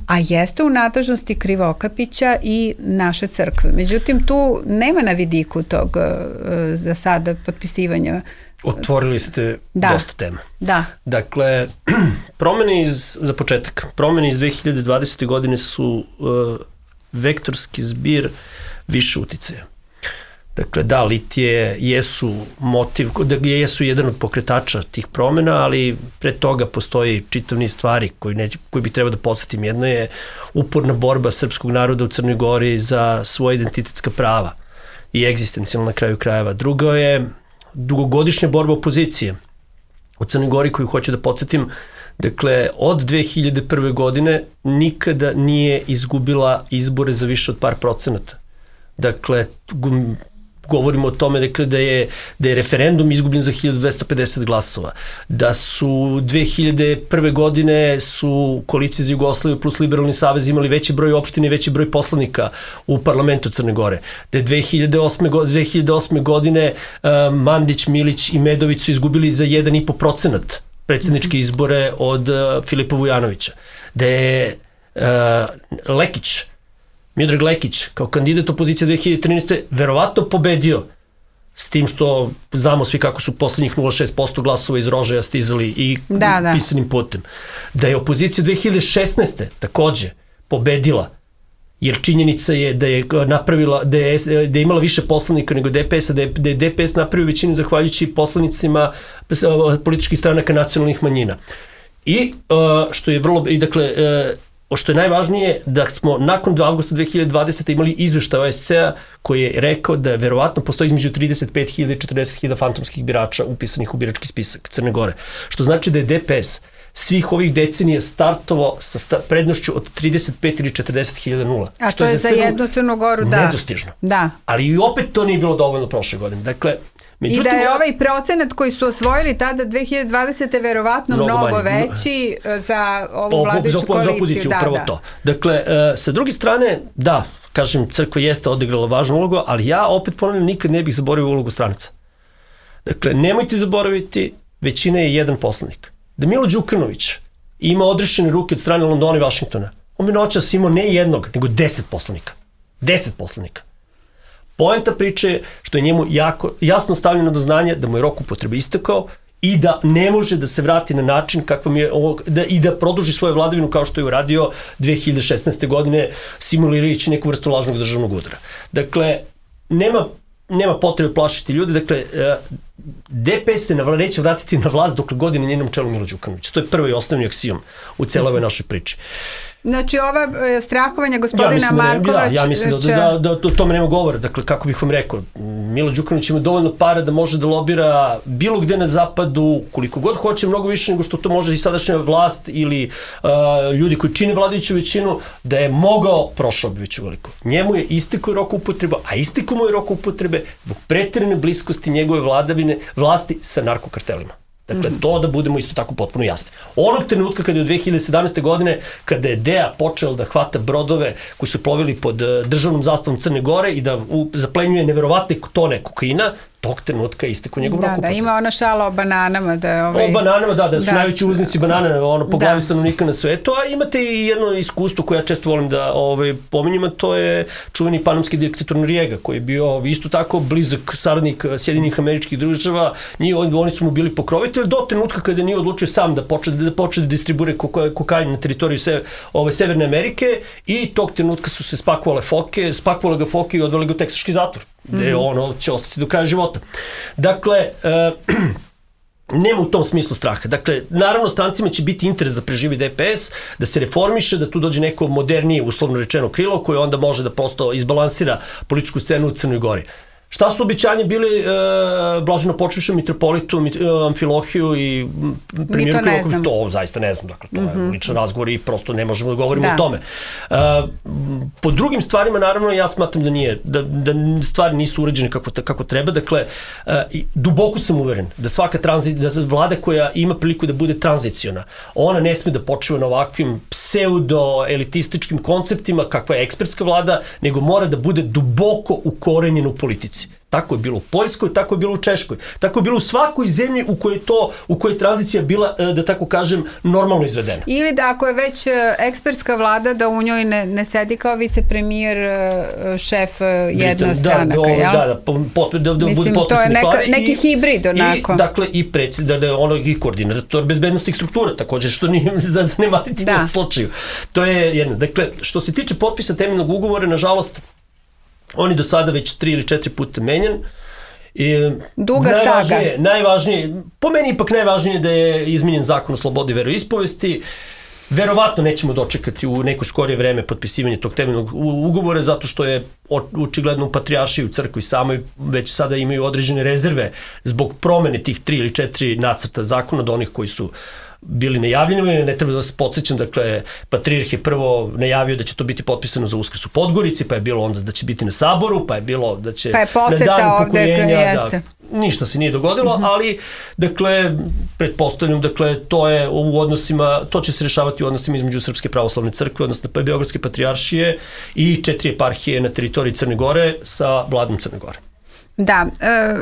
a jeste u nadležnosti Krivokapića i naše crkve. Međutim, tu nema na vidiku tog za sada potpisivanja. Otvorili ste dosta tema. Da. Dakle, za početak, promene iz 2020. godine su vektorski zbir više uticaja. Dakle, da, litije jesu motiv, jesu jedan od pokretača tih promena, ali pre toga postoji čitav niz stvari koji bi trebao da podsjetim. Jedno je uporna borba srpskog naroda u Crnoj Gori za svoje identitetska prava i egzistencijalna na kraju krajeva. Drugo je dugogodišnja borba opozicije u Crnoj Gori koju hoću da podsjetim. Dakle, od 2001. godine nikada nije izgubila izbore za više od par procenata. Dakle, govorimo o tome da je referendum izgubljen za 1250 glasova, da su 2001. godine su koalicije za Jugoslaviju plus Liberalni savez imali veći broj opština i veći broj poslanika u parlamentu Crne Gore, da je 2008. godine Mandić, Milić i Medović su izgubili za 1,5% predsjedničke izbore od Filipa Vujanovića, da je Miodrag Lekić kao kandidat opozicije 2013. verovatno pobedio, s tim što znamo svi kako su poslednjih 0,6% glasova iz Rožaja stizali i pisanim putem. Da je opozicija 2016. takođe pobedila, jer činjenica je da je napravila, da je imala više poslanika nego DPS-a, da je DPS napravio većinu zahvaljujući poslanicima političkih stranaka nacionalnih manjina. I što je što je najvažnije, da smo nakon avgusta 2020. imali izveštaj OSCE-a koji je rekao da verovatno postoji između 35.000 i 40.000 fantomskih birača upisanih u birački spisak Crne Gore. Što znači da je DPS svih ovih decenija startovao sa prednošću od 35 ili 40.000 nula. A to je za jednu Crnu Goru, da. Nedostižno. Da. Ali i opet to nije bilo dovoljno prošle godine. Dakle, I da je ovaj procenat koji su osvojili tada 2020. verovatno mnogo veći za ovu vladajuću koaliciju. Za opoziciju, upravo to. Dakle, sa druge strane, da, kažem, crkva jeste odigrala važnu ulogu, ali ja opet ponavljam, nikad ne bih zaboravio ulogu stranaca. Dakle, nemojte zaboraviti, većina je jedan poslanik. Da Milo Đukanović ima odrešene ruke od strane Londona i Vašingtona, on bi noćas imao ne jednog, nego 10 poslanika. 10 poslanika. Poenta priče je što je njemu jasno stavljeno do znanja da mu je rok upotrebe istekao i da ne može da se vrati na način kakvom je i da produži svoju vladavinu kao što je uradio 2016. godine simulirajući neku vrstu lažnog državnog udara. Dakle, nema potrebe plašiti ljudi, dakle, DPS se neće vratiti na vlast dokle godine njenom čelu Milo Đukanović. To je prvi i osnovni aksijom u celoj ovoj našoj priči. Znači, ova strahovanja gospodina Markovića... Ja mislim da o tome nema govora. Dakle, kako bih vam rekao, Milo Đukanović ima dovoljno para da može da lobira bilo gde na zapadu, koliko god hoće, mnogo više nego što to može i sadašnja vlast ili ljudi koji čine vladajuću većinu, da je mogao, prošao bi već uveliko. Njemu je istekao rok upotreba, a istekao mu je rok upotrebe zbog preterane bliskosti njegove vlasti sa narkokartelima. Dakle, to da budemo isto tako potpuno jasni. Onog trenutka kada je od 2017. godine, kada je DEA počeo da hvata brodove koji su plovili pod državnom zastavom Crne Gore i da zaplenjuje neverovatne tone kokaina, tog trenutka istekao njegov rok upotrebe. Da, ima ona šala o bananama. O bananama, da su najveći uvoznici banana po glavi stanovnika na svetu, a imate i jedno iskustvo koje ja često volim da pominjem, a to je čuveni panamski diktator Noriega, koji je bio isto tako blizak saradnik Sjedinjenih Američkih Država, oni su mu bili pokrovitelji do trenutka kada nije odlučio sam da počne da distribuira kokain na teritoriju Severne Amerike i tog trenutka su se spakovale ga foke i odveli ga u teksaški zatvor, gde ono će ostati do kraja života. Dakle, nema u tom smislu straha. Dakle, naravno, strancima će biti interes da preživi DPS, da se reformiše, da tu dođe neko modernije, uslovno rečeno, krilo, koje onda može da prosto izbalansira političku scenu u Crnoj Gori. Šta su obećanje bili blaženo počivšem mitropolitu Amfilohiju i premijeru Krivokapiću? To zaista ne znam. Dakle, to je ličan razgovor i prosto ne možemo da govorimo o tome. Po drugim stvarima, naravno, ja smatram da stvari nisu uređene kako treba. Dakle, duboko sam uveren da da vlada koja ima priliku da bude tranziciona, ona ne sme da počiva na ovakvim pseudo-elitističkim konceptima kakva je ekspertska vlada, nego mora da bude duboko ukorenjena u politici. Tako je bilo u Poljskoj, tako je bilo u Češkoj, tako je bilo u svakoj zemlji u kojoj je tranzicija bila, da tako kažem, normalno izvedena. Ili da ako je već ekspertska vlada, da u njoj ne sedi kao vicepremijer, šef jednostranaka, jel? Da bude potpredsjednik vlade. Neki hibrid onako. Dakle, i koordinator bezbednostnih struktura, također, što nije zanemariti u ovom slučaju. To je jedno. Dakle, što se tiče potpisa temeljnog ugovora, nažalost, on je do sada već 3 ili 4 puta menjan. Duga saga. Najvažnije, po meni ipak najvažnije da je izmenjen zakon o slobodi veroispovesti. Verovatno nećemo dočekati u neko skorije vreme potpisivanje tog temeljnog ugovora, zato što je očigledno u patrijaršiji, u crkvi samoj već sada imaju određene rezerve zbog promene tih 3 ili 4 nacrta zakona od onih koji su bili najavljeni, ne treba da vas podsjećam, dakle, patrijarh je prvo najavio da će to biti potpisano za Uskrs u Podgorici, pa je bilo onda da će biti na Saboru, pa je bilo da će na dan upokojenja, ništa se nije dogodilo, ali, dakle, pretpostavljam, dakle, to je u odnosima, to će se rešavati u odnosima između Srpske pravoslavne crkve, odnosno Beogradske patrijaršije i 4 eparhije na teritoriji Crne Gore sa vladom Crne Gore. Da,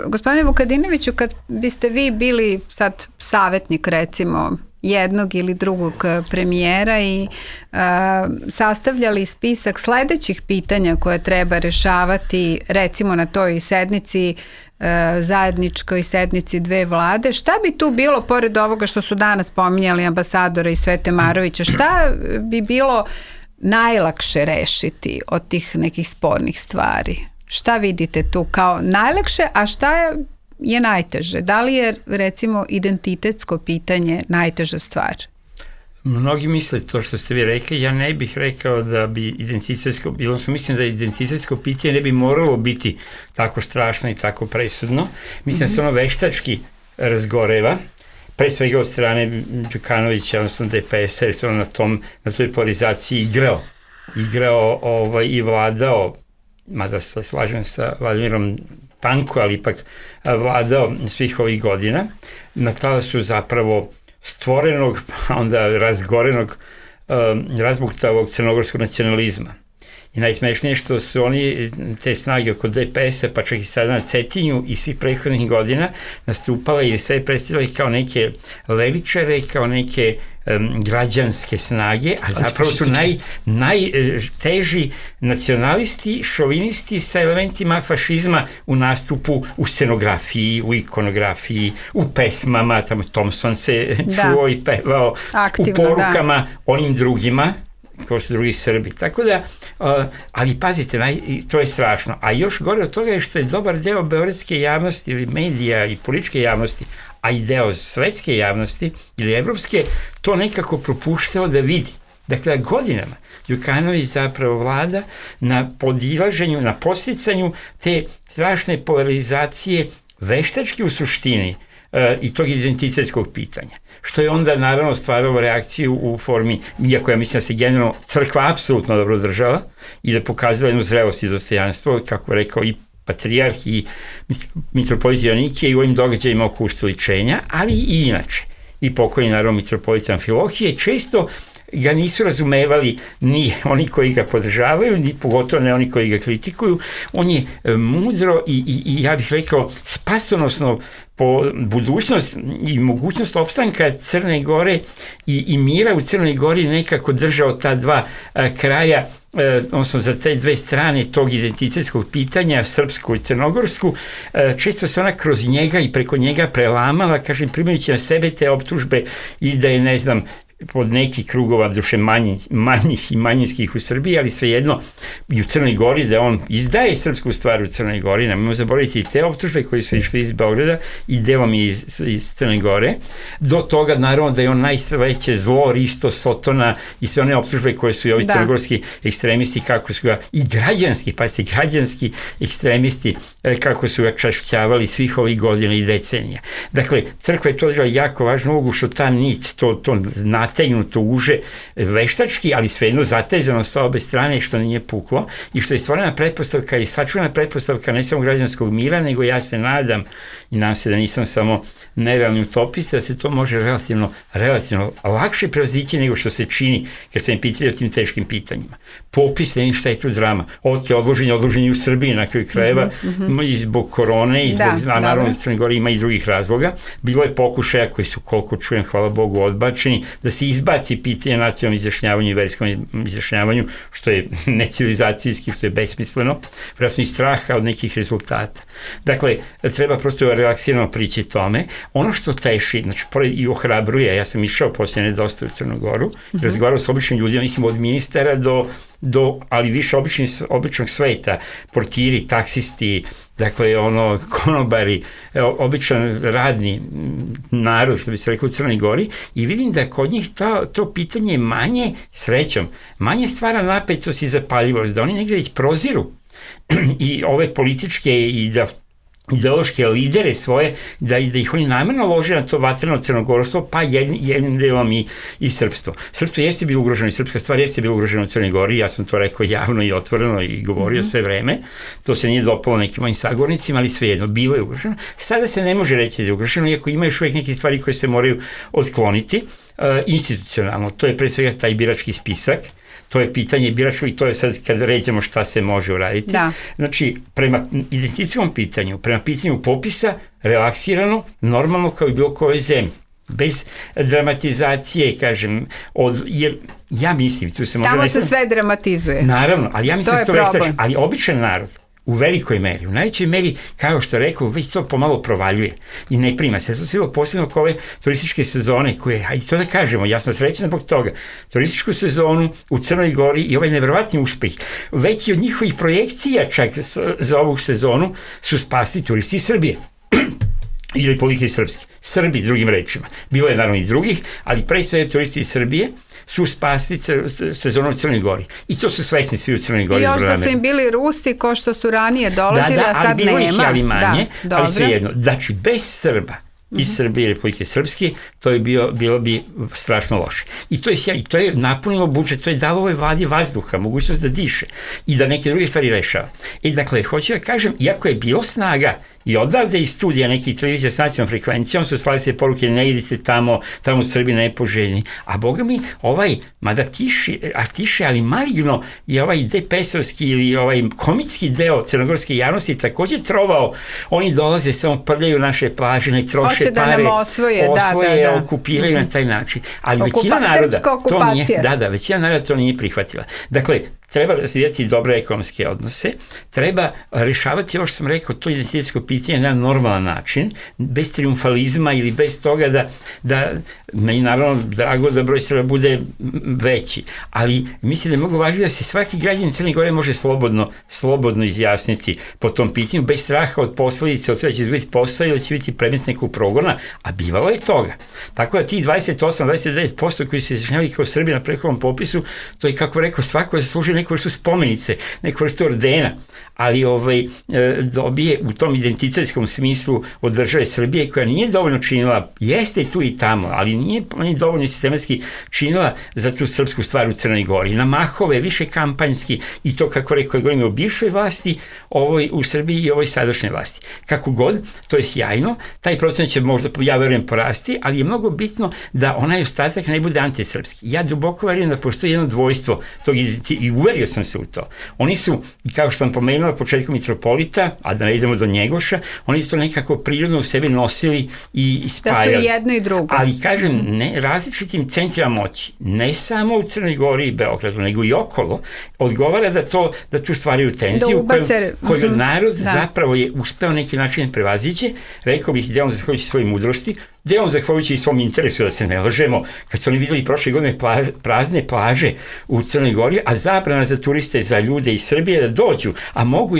gospodine Vukadinoviću, kad biste vi bili sad savjetnik, recimo, jednog ili drugog premijera i sastavljali spisak sledećih pitanja koje treba rešavati, recimo na toj sednici, zajedničkoj sednici dve vlade, šta bi tu bilo, pored ovoga što su danas pominjali ambasadora i Svete Marovića, šta bi bilo najlakše rešiti od tih nekih spornih stvari? Šta vidite tu kao najlakše, a šta je najteže? Da li je, recimo, identitetsko pitanje najteža stvar? Mnogi misle to što ste vi rekli, ja ne bih rekao da bi identitetsko, mislim da identitetsko pitanje ne bi moralo biti tako strašno i tako presudno. Mislim da se ono veštački razgoreva, pre svega od strane Đukanovića, odnosno DPS-a, jer se ono na toj polarizaciji igrao i vladao, mada se slažem sa Vladimirom tanko, ali ipak vladao svih ovih godina, na talasu zapravo stvorenog, pa onda razgorenog, razbuktavog crnogorskog nacionalizma. I najsmešnije što su oni, te snage oko DPS-a, pa čak i sada na Cetinju i svih prethodnih godina nastupale ili sve predstavljali kao neke levičare, kao neke građanske snage, a zapravo su najteži nacionalisti, šovinisti sa elementima fašizma u nastupu, u scenografiji, u ikonografiji, u pesmama, tamo Thompson se čuo i pevao, aktivno, u porukama onim drugima, kao su drugi Srbi. Tako da, ali pazite, to je strašno. A još gore od toga je što je dobar deo beogradske javnosti ili medija i političke javnosti, a i deo svetske javnosti ili evropske, to nekako propuštao da vidi. Dakle, godinama Đukanović zapravo vlada na podilaženju, na podsticanju te strašne polarizacije veštački u suštini i tog identitetskog pitanja. Što je onda naravno stvaralo reakciju u formi, iako ja mislim da se generalno crkva apsolutno dobro držala i da pokazala jednu zrelost i dostojanstvo, kako je rekao i patrijarh i mitropolit Joanikije i u ovim događajima oko ustoličenja, ali i inače. I pokojni naravno mitropolit Amfilohije često ga nisu razumevali ni oni koji ga podržavaju, ni pogotovo ne oni koji ga kritikuju. On je mudro i ja bih rekao spasonosno po budućnost i mogućnost opstanka Crne Gore i mira u Crnoj Gori nekako držao ta dva kraja, odnosno za te dve strane tog identitetskog pitanja, srpsku i crnogorsku. Često se ona kroz njega i preko njega prelamala, kažem, primajući na sebe te optužbe i da je, ne znam, pod nekih krugova duše manjih i manjinskih u Srbiji, ali svejedno i u Crnoj Gori, da on izdaje srpsku stvar u Crnoj Gori, nemojmo zaboraviti i te optužbe koji su išli iz Beograda i delom iz Crne Gore, do toga naravno da je on najveće zlo, Risto, Sotona i sve one optužbe koje su i ovi crnogorski ekstremisti, kako su ga, i građanski, pazite, građanski ekstremisti, kako su ga čašćavali svih ovih godina i decenija. Dakle, crkva je to odigrala jako važnu ulogu, što ta nit, to nategnuto uže veštački, ali svejedno zatezano sa obe strane, što nije puklo i što je stvorena pretpostavka i sačuvana pretpostavka ne samo građanskog mira, nego ja se nadam i nadam se da nisam samo nerealni utopista, da se to može relativno lakše prevazići nego što se čini kad ste mi pitali o tim teškim pitanjima. Popis, ne šta je tu drama. Ovdje je odloženje u Srbiji na kraju krajeva, i zbog korone i zbog, naravno u Crnoj Gori ima i drugih razloga. Bilo je pokušaja koji su, koliko čujem, hvala Bogu, odbačeni, da se izbaci pitanje nacionalnom izjašnjavanju i verskom izjašnjavanju, što je necivilizacijski, što je besmisleno, vjerojatno i straha od nekih rezultata. Dakle, treba prosto relaksirano prići tome. Ono što teši, znači, i ohrabruje, ja sam išao posljednje dosta u Crnu Goru, razgovarao s običnim ljudima, mislim od ministara do ali više običnog sveta, portiri, taksisti, dakle, konobari, običan radni narod, što bi se rekao u Crnoj Gori, i vidim da kod njih to pitanje manje, srećom, manje stvara napetost i zapaljivost, da oni negdje već proziru i ove političke i ideološke lidere svoje, da ih oni namjerno lože na to vatreno crnogorstvo, pa jednim delom i srpstvo. Srpstvo jeste bilo ugroženo i srpska stvar jeste bilo ugroženo u Crnoj Gori, ja sam to rekao javno i otvoreno i govorio sve vreme, to se nije dopalo nekim mojim sagovornicima, ali svejedno, bilo je ugroženo. Sada se ne može reći da je ugroženo, iako ima još uvijek neke stvari koje se moraju otkloniti institucionalno. To je pre svega taj birački spisak, to je pitanje biračkog i to je sad kad ređemo šta se može uraditi. Da. Znači, prema identitetskom pitanju, prema pitanju popisa, relaksirano, normalno kao i bilo kojoj zemlji. Bez dramatizacije, kažem, jer ja mislim, tu se može... Tamo se sve dramatizuje. Naravno, ali ja mislim ali običan narod, u velikoj meri, u najvećoj meri, kao što rekao, već to pomalo provaljuje i ne prima se. To se bilo posebno kao ove turističke sezone koje, hajde to da kažemo, ja sam srećan zbog toga, turističku sezonu u Crnoj Gori i ovaj nevjerovatni uspeh, veći od njihovih projekcija čak za ovu sezonu su spasli turisti iz Srbije i Republike Srpske. Srbi, drugim rečima. Bilo je naravno i drugih, ali pre sve turisti iz Srbije su spasli sezonu u Crnoj Gori. I to su svesni svi u Crnoj Gori. I još da su im bili Rusi ko što su ranije dolazili, a sad nema. Da, ali bilo ih ali manje, ali svejedno. Znači, bez Srba iz Srbije i Republike Srpske, to je bilo bi strašno loše. I to je sjajno, to je napunilo budžet, to je dalo ovoj vladi vazduha, mogućnost da diše i da neke druge stvari rešava. Dakle, hoću da kažem, iako je bilo snaga i odavde iz studija nekih televizija s nacionalnom frekvencijom su slali se poruke, ne idite tamo u Srbiji nepoželjni. A boga mi, mada tiše, ali maligno je ovaj DPS-ovski ili ovaj komitski deo crnogorske javnosti takođe trovao. Oni dolaze, samo prljaju naše plaže, ne troše pare. Hoće da nam osvoje, okupiraju na taj način. Ali većina naroda većina naroda to nije prihvatila. Dakle, treba razvijati dobre ekonomske odnose, treba rešavati, ovo što sam rekao, to identitetsko pitanje na normalan način, bez triumfalizma ili bez toga da meni naravno drago da broj Srba bude veći, ali mislim da je mnogo važno da se svaki građanin Crne Gore može slobodno izjasniti po tom pitanju, bez straha od posledice, od toga da će biti posao ili će biti predmet nekog progona, a bivalo je toga. Tako da ti 28-29% koji se izjašnjavaju kao Srbi na prethodnom popisu, to je, kako rekao, svako zaslužuje neku vrstu spomenice, neku vrstu ordena, ali dobije u tom identitetskom smislu od države Srbije, koja nije dovoljno činila, jeste tu i tamo, ali nije dovoljno sistematski činila za tu srpsku stvar u Crnoj Gori. Na mahove, više kampanjski, i to, kako rekao, govorimo o bivšoj vlasti, ovoj u Srbiji i ovoj sadašnjoj vlasti. Kako god, to je sjajno, taj procent će možda, ja verujem, porasti, ali je mnogo bitno da onaj ostatak ne bude antisrpski. Ja duboko verujem da postoji jedno dvojstvo tog i uverio sam se u to. Oni su, kao što sam pomenuo na početku, mitropolita, a da ne idemo do Njegoša, oni su to nekako prirodno u sebi nosili i spajali. Da su jedno i drugo. Ali, kažem, različitim centrima moći, ne samo u Crnoj Gori i Beogradu, nego i okolo, odgovara da tu stvaraju tenziju koju narod zapravo je uspeo neki način prevaziđe, rekao bih, delom zahvaljujući svojoj mudrosti, delom zahvaljujući i svom interesu, da se ne lažemo, kad su oni videli prošle godine prazne plaže u Crnoj Gori, a zabrana za turiste, za ljude iz Srbije da dođu, a mogu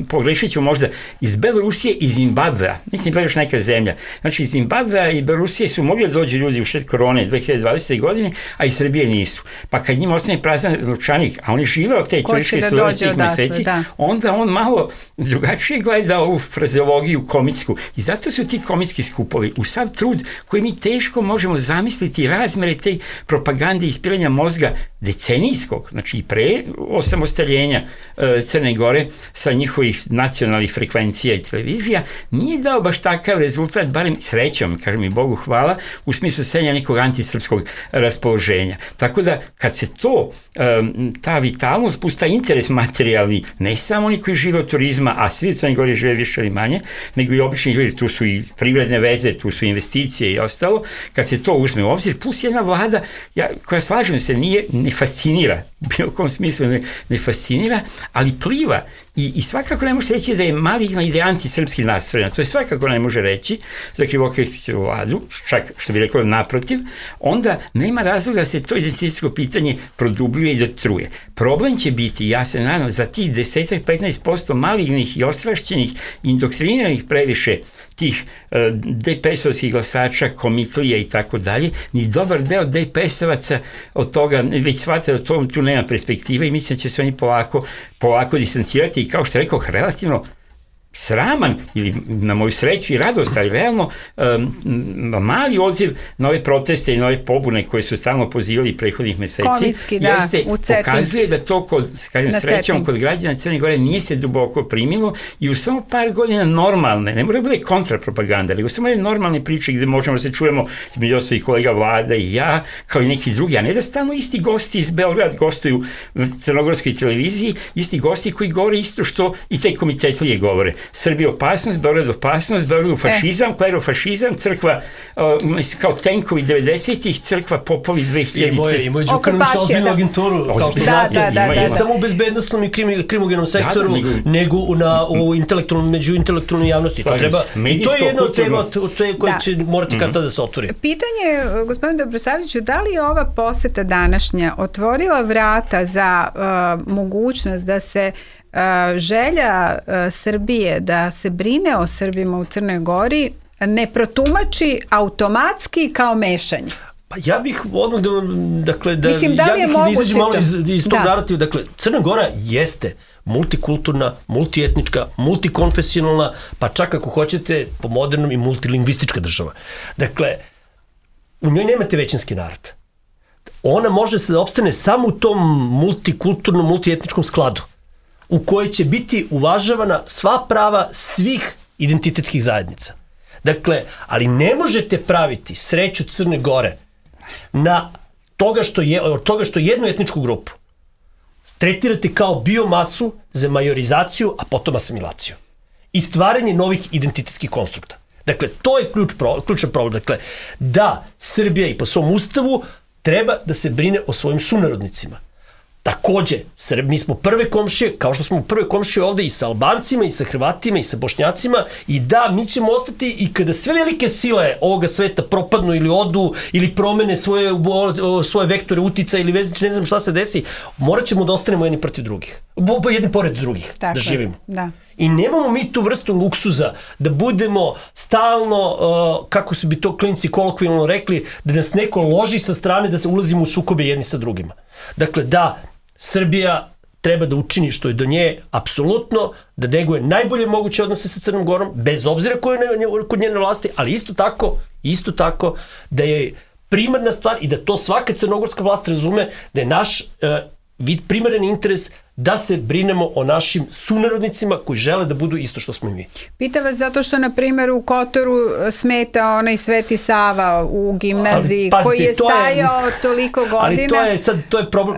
pogrešit ću možda iz Belorusije i Zimbabvea, mislim da je još neka zemlja. Znači, iz Zimbabvea i Belorusije su mogli da dođu ljudi u šet korone 2020. godine, a iz Srbije nisu. Pa kad njima ostane prazan novčanik, a oni žive od te turističke sezone tih meseci, onda on malo drugačije gleda ovu frazeologiju komitsku. I zato su ti komitski skupovi u sav trud koji mi teško možemo zamisliti razmere te propagande i ispiranja mozga decenijskog, znači i pre osamostaljenja Crne Gore sa njihovih nacionalnih frekvencija i televizija, nije dao baš takav rezultat, barem srećom, kažem i Bogu hvala, u smislu senja nekog antisrpskog raspoloženja. Tako da, kad se ta vitalnost, plus taj interes materijalni, ne samo oni koji žive od turizma, a svi u Crnoj Gori žive više ili manje, nego i obični ljudi, tu su i privredne veze, tu su investicije i ostalo, kad se to uzme u obzir, plus jedna vlada, koja, slažem se, ne fascinira, u bilo kom smislu ne fascinira, ali pliva i svakako ne može se reći da je maligna i da je antisrpski nastrojena. To je svakako ne može reći za Krivokapićevu vladu, čak što bi rekao naprotiv, onda nema razloga da se to identitetsko pitanje produbljuje i dotruje. Problem će biti, ja se nadam, za tih 10-15% malignih i ostrašćenih, indoktriniranih previše tih DPS-ovskih glasača, komitlija i tako dalje, ni dobar deo DPS-ovaca od toga već shvata da tu nema perspektive i mislim da će se oni polako distancirati i, kao što rekao, relativno sraman, ili na moju sreću i radost, ali realno mali odziv na ove proteste i na ove pobune koje su stalno pozivali prethodnih meseci, pokazuje da to srećom kod građana Crne Gore nije se duboko primilo i u samo par godina normalne, ne mora da bude kontrapropaganda, nego samo jedne normalne priče gde možemo da se čujemo između ostalih kolega Vlada i ja, kao i neki drugi, a ne da stalno isti gosti iz Beograda gostuju na crnogorskoj televiziji, isti gosti koji govore isto što i te komitetlije govore. Srbija opasnost, Beograd opasnost, Beograd fašizam, klerofašizam, crkva kao tenkovi 90-ih, crkva popovi 2000-ih. Imaju Đukanović ozbiljnu agenturu, kao što znate, ne samo u bezbednostnom i krimogenom sektoru, nego među intelektualnoj javnosti. I to je jedna od tema koja će morati kada da se otvori. Pitanje, gospodine Dobrosavljeviću, da li je ova poseta današnja otvorila vrata za mogućnost da se želja Srbije da se brine o Srbima u Crnoj Gori ne protumači automatski kao mešanje? Pa ja bih odmah da mislim, da li je moguće izađem malo iz tog narativa. Dakle, Crna Gora jeste multikulturna, multietnička, multikonfesionalna, pa čak ako hoćete po modernom i multilingvistička država. Dakle, u njoj nemate većinski narod. Ona može se da opstane samo u tom multikulturnom, multietničkom skladu, u kojoj će biti uvažavana sva prava svih identitetskih zajednica. Dakle, ali ne možete praviti sreću Crne Gore na toga što jednu etničku grupu tretirate kao biomasu za majorizaciju, a potom asimilaciju. I stvaranje novih identitetskih konstrukta. Dakle, to je ključan problem. Dakle, da Srbija i po svom ustavu treba da se brine o svojim sunarodnicima. Takođe, mi smo prve komšije, kao što smo prve komšije ovde i sa Albancima, i sa Hrvatima, i sa Bošnjacima, i da, mi ćemo ostati i kada sve velike sile ovoga sveta propadnu ili odu, ili promene svoje vektore utica ili ne znam šta se desi, morat ćemo da ostanemo jedni protiv drugih. Jedni pored drugih, tako, da živimo. Da. I nemamo mi tu vrstu luksuza da budemo stalno, kako bi to klinci kolokvijalno rekli, da nas neko loži sa strane da se ulazimo u sukobe jedni sa drugima. Dakle, da, Srbija treba da učini što je do nje apsolutno, da neguje najbolje moguće odnose sa Crnom Gorom, bez obzira ko je kod njene vlasti, ali isto tako da je primarna stvar i da to svaka crnogorska vlast razume da je naš primaran interes da se brinemo o našim sunarodnicima koji žele da budu isto što smo i mi. Pitam vas zato što, na primjer, u Kotoru smeta onaj Sveti Sava u gimnaziji, koji je stajao toliko godina. Ali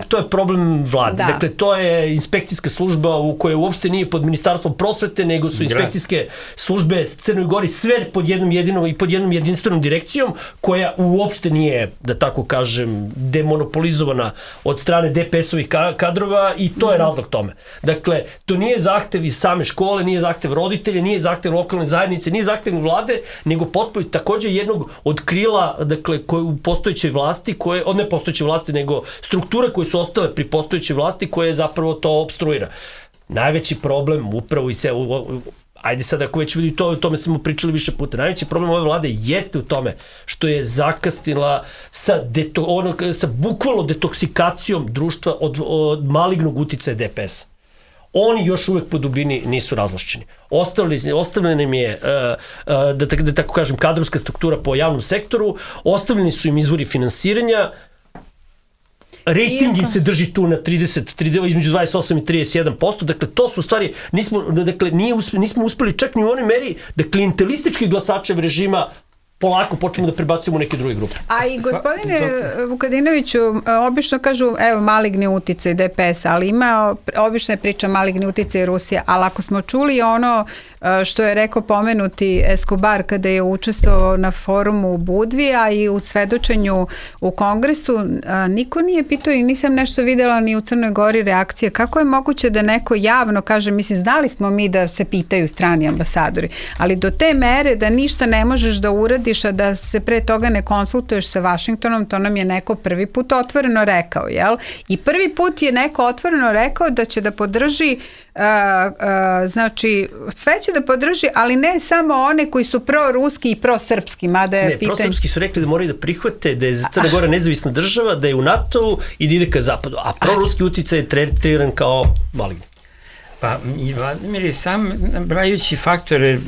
to je problem vlade. Da. Dakle, to je inspekcijska služba u kojoj uopšte nije pod Ministarstvom prosvete, nego su inspekcijske službe Crnoj Gori sve pod jednom jedinstvenom direkcijom, koja uopšte nije, da tako kažem, demonopolizovana od strane DPS-ovih kadrova, i to je razlog tome. Dakle, to nije zahtev iz same škole, nije zahtev roditelja, nije zahtev lokalne zajednice, nije zahtev vlade, nego potpuno takođe jednog od krila, dakle, koje u postojećoj vlasti, ne postojeće vlasti, nego struktura koje su ostale pri postojećoj vlasti, koje zapravo to obstruira. Najveći problem upravo ajde sad ako već vidi o tome smo pričali više puta, najveći problem ove vlade jeste u tome što je zakasnila sa bukvalno detoksikacijom društva od malignog uticaja DPS. Oni još uvek po dubini nisu razvlašćeni. Ostavljena im je, da tako kažem, kadrovska struktura po javnom sektoru, ostavljeni su im izvori finansiranja, rating im se drži tu na 30, između 28 i 31%, dakle to su stvari, nismo uspeli čak ni u onoj meri da klijentelistički glasačev režima polako počnemo da prebacujemo u neke druge grupe. A i gospodine Vukadinoviću, obično kažu, evo, maligni uticaj DPS, ali obično je priča maligni uticaj Rusija, ali ako smo čuli ono što je rekao pomenuti Escobar kada je učestvovao na forumu u Budvi, a i u svedočenju u Kongresu, niko nije pitao i nisam nešto videla ni u Crnoj Gori reakcije. Kako je moguće da neko javno kaže, mislim, znali smo mi da se pitaju strani ambasadori, ali do te mere da ništa ne možeš da uradiš, a da se pre toga ne konsultuješ sa Vašingtonom, to nam je neko prvi put otvoreno rekao, jel? I prvi put je neko otvoreno rekao da će da podrži, znači, sve će da podrži, ali ne samo one koji su proruski i prosrpski, mada je pitanje... Ne, prosrpski su rekli da moraju da prihvate da je Crna Gora nezavisna država, da je u NATO-u i da ide ka zapadu, a proruski uticaj je tretiran kao maligni. Pa, i Vladimir je sam, brajući faktore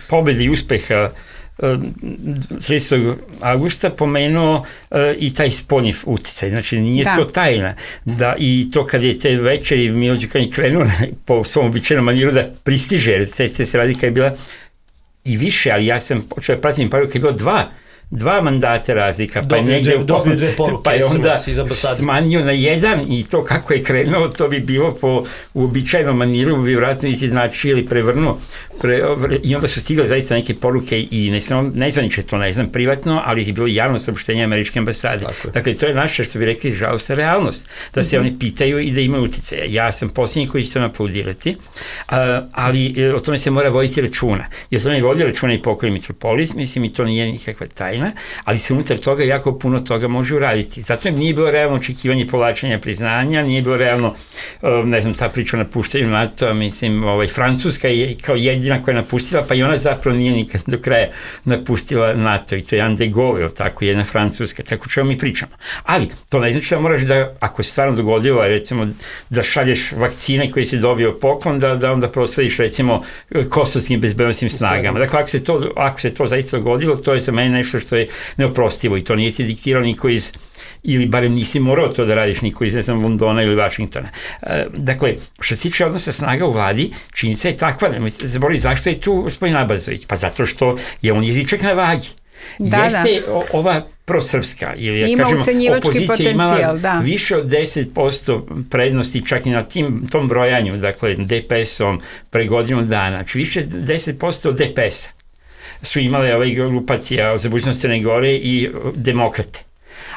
pobede i uspeha 30. augusta pomenuo i taj spoljni uticaj. Znači, nije to tajna. Da, i to kad je te večeri Milo Đukanović krenuo po svom običajnom maniru da pristiže, jer se radi kad je bila i više, ali ja sam počeo pratim paru kad je bilo dva mandata razlika, pa je onda smanjio na jedan i to kako je krenuo, to bi bilo po uobičajnom maniru, bi vratno izjednačio ili prevrnuo. I onda su stigle zaista neke poruke i nezvanično to ne znam privatno, ali je bilo javno saopštenje američke ambasade. Dakle, to je naša, što bi rekli, žalostna realnost, da se oni pitaju i da imaju uticaja. Ja sam posljednji koji će to naplaudirati, ali o tome se mora voditi računa. Jer sam ne vodio računa i pokojni mitropolis, mislim, i to nije nikakva tajna. godina, ali se unutar toga jako puno toga može uraditi. Zato nije bilo realno očekivanje povlačenja priznanja, nije bilo realno, ne znam, ta priča o napuštanju NATO, mislim, Francuska je kao jedina koja je napustila, pa i ona zapravo nije nikad do kraja napustila NATO, i to je Jan de Gaulle, tako, jedna Francuska, tako čemu mi pričamo. Ali, to ne znači da moraš da, ako se stvarno dogodilo, recimo, da šalješ vakcine koje si dobio poklon, da onda proslediš, recimo, kosovskim bezbednosnim snagama. Dakle, ako se to zaista dogodilo, to je za mene nešto što je neoprostivo i to nije ti diktirao niko iz, ili barem nisi morao to da radiš niko iz, ne znam, Londona ili Vašingtona. Dakle, što se tiče odnosa snaga u vladi, činjenica je takva, nemojte zaboraviti zašto je tu gospodin Abazović, pa zato što je on jezičak na vagi. Jeste ova prosrpska, ili ima kažemo, opozicija imala više od 10% prednosti čak i na tom brojanju, dakle DPS-om pre godinu dana, znači više 10% od DPS-a su imale ove grupacija za budućnost Crne Gore i demokrate.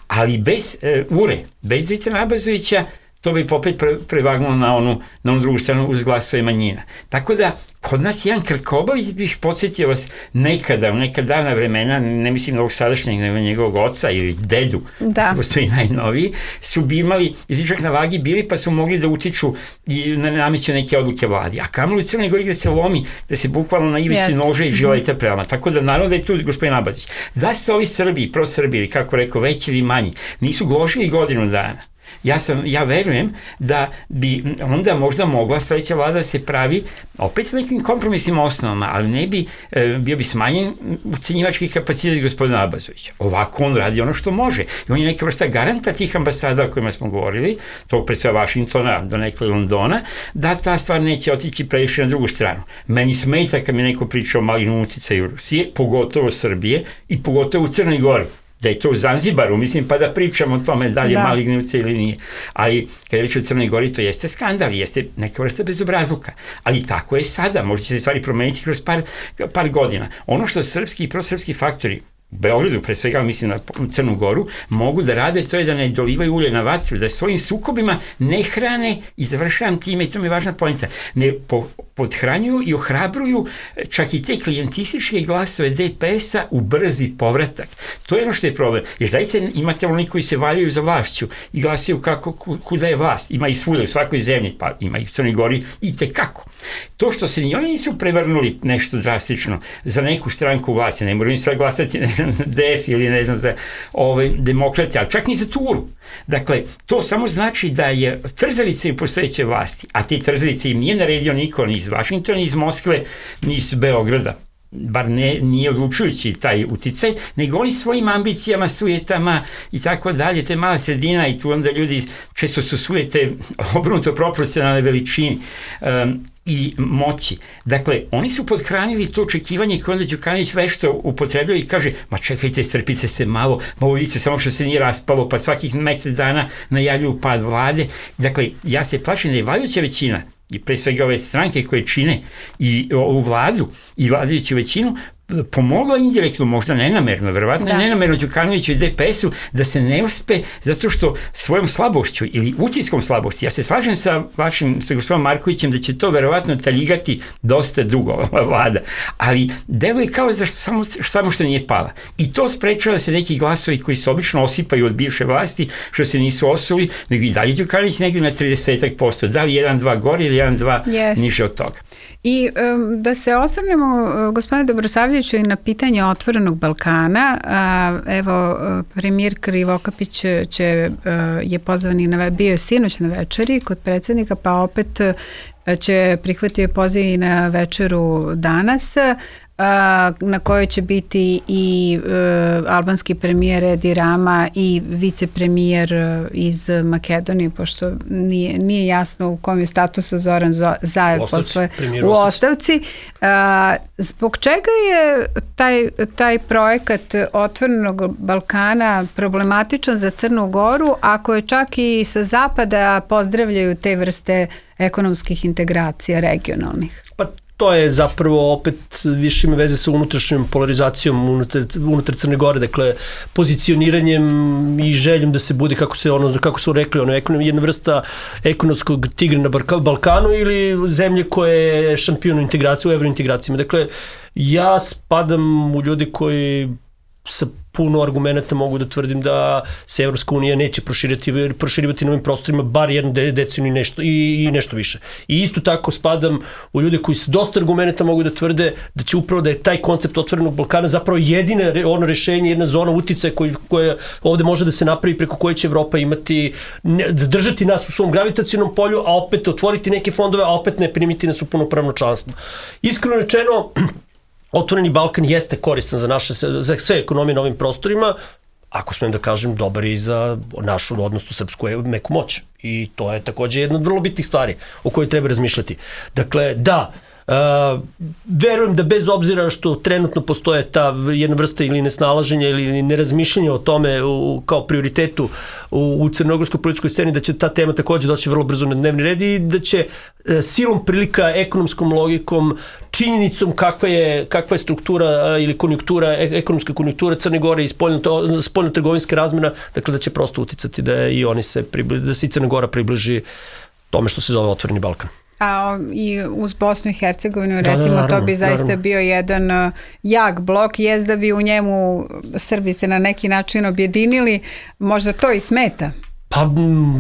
Ali bez URE, bez Dritana Abazovića, to bi opet prevagnulo na onu drugu stranu uz glasove manjina. Tako da, kod nas jedan Krkobavić, bih podsjetio vas, nekada, u neka davna vremena, ne mislim na ovog sadašnjeg, nego njegovog oca ili dedu, postoji najnoviji, su bi imali jezičak na vagi bili, pa su mogli da utiču i nameću neke odluke vladi. A kamoli u Crnoj Gori gde se lomi, da se bukvalno na ivici nože i žilajte prelama. Tako da, naravno da je tu gospodin Abazić. Da su ovi Srbi, prosrbi, ili kako rekao, veći ili manji, nisu gložili godinu dana. Ja verujem da bi onda možda mogla sledeća vlada se pravi opet sa nekim kompromisnim osnovama, ali ne bi bio bi smanjen ucenjivački kapacitet gospodina Abazovića. Ovako on radi ono što može. I on je neka vrsta garanta tih ambasada o kojima smo govorili, to pre sve Vašingtona do nekle Londona, da ta stvar neće otići previše na drugu stranu. Meni smeta kad mi neko priča o malignom uticaju Rusije, pogotovo Srbije i pogotovo u Crnoj Gori. Da je to u Zanzibaru, mislim, pa da pričamo o tome da li je maligni uticaj ili nije. Ali, kada je reč o Crnoj Gori, to jeste skandal, jeste neka vrsta bezobrazluka. Ali tako je sada, možda će se stvari promeniti kroz par godina. Ono što srpski i prosrpski faktori u Beogradu, pre svega, mislim na Crnu Goru, mogu da rade, to je da ne dolivaju ulje na vatru, da svojim sukobima ne hrane, i završavam time, i to mi je važna poenta, ne podhranjuju i ohrabruju čak i te klijentističke glasove DPS-a u brzi povratak. To je ono što je problem. Jer zaista imate oni koji se valjaju za vlašću i glasaju kuda je vlast. Ima i svuda u svakoj zemlji, pa ima i u Crnoj Gori i tekako. To što se ni oni nisu prevrnuli nešto drastično za neku stranku vlasti, ne moraju sad glasati, ne znam, za DF ili ne znam, za demokrate, ali čak ni za Turu. Dakle, to samo znači da je trzavica u postojeće vlasti, a te trzavice im nije naredio niko, ni iz Vašingtona, ni iz Moskve, ni iz Beograda. Bar nije odlučujući taj uticaj, nego oni svojim ambicijama, sujetama i tako dalje, to je mala sredina i tu onda ljudi često su sujete obrnuto proporcionalne veličini i moći. Dakle, oni su podhranili to očekivanje koje onda Đukanović vešto upotrebljava i kaže, ma čekajte, strpite se malo vidite samo što se nije raspalo, pa svakih mesec dana najavljuju pad vlade. Dakle, ja se plašim da je vladajuća većina i pre svega ove stranke koje čine i ovu vladu i vladajuću većinu pomogla indirektno, možda nenamerno, verovatno je nenamerno Đukanoviću i DPS-u da se ne uspe zato što svojom slabošću ili utiskom slabosti, ja se slažem sa vašim gospodinom Markovićem da će to verovatno taljigati dosta dugo ova vlada, ali deluje kao da samo što nije pala. I to sprečava da se neki glasovi koji se obično osipaju od bivše vlasti, što se nisu osuli, nego i dalje Đukanović negdje na 30%, da li 1-2 gore ili 1-2 niže od toga. I da se osvrnemo, gospodine Dobrosavljeviću, i na pitanje Otvorenog Balkana. Evo, premijer Krivokapić je pozvan i bio je sinoć na večeri kod predsjednika, pa opet će prihvatio poziv i na večeru danas, na kojoj će biti i albanski premijer Edi Rama i vicepremijer iz Makedonije, pošto nije jasno u kom je statusu Zoran Zaev u ostavci. Zbog čega je taj projekat Otvorenog Balkana problematičan za Crnu Goru, ako je čak i sa zapada pozdravljaju te vrste ekonomskih integracija regionalnih? Pa to je zapravo opet više ima veze sa unutrašnjom polarizacijom unutar Crne Gore, dakle pozicioniranjem i željom da se bude, kako su rekli, jedna vrsta ekonomskog tigra na Balkanu ili zemlje koje je šampion u integraciji, u evrointegracijama. Dakle, ja spadam u ljudi koji sa puno argumenta mogu da tvrdim da se Evropska unija neće proširivati na ovim prostorima bar jednu deceniju i nešto više. I isto tako spadam u ljude koji se dosta argumenta mogu da tvrde da će upravo da je taj koncept otvorenog Balkana zapravo jedina ono rešenje, jedna zona uticaja koja ovde može da se napravi, preko koje će Evropa imati, zadržati nas u svom gravitacionom polju, a opet otvoriti neke fondove, a opet ne primiti nas u punopravno članstvo. Iskreno rečeno, Otvoreni Balkan jeste koristan za sve ekonomije na ovim prostorima, ako smem da kažem, dobar i za našu, odnosno srpsku meku moć. I to je takođe jedna od vrlo bitnih stvari o kojoj treba razmišljati. Dakle, da, verujem da bez obzira što trenutno postoje ta jedna vrsta ili nesnalaženja ili nerazmišljenja o tome kao prioritetu u crnogorskoj političkoj sceni, da će ta tema takođe doći vrlo brzo na dnevni red i da će silom prilika, ekonomskom logikom, činjenicom kakva je struktura ili ekonomska konjunktura Crne Gore i spoljno-trgovinska razmena, dakle da će prosto uticati da i oni da se i Crna Gora približi tome što se zove Otvoreni Balkan. A i uz Bosnu i Hercegovinu, recimo, naravno, to bi zaista bio jedan jak blok, jest da bi u njemu Srbi se na neki način objedinili, možda to i smeta. Pa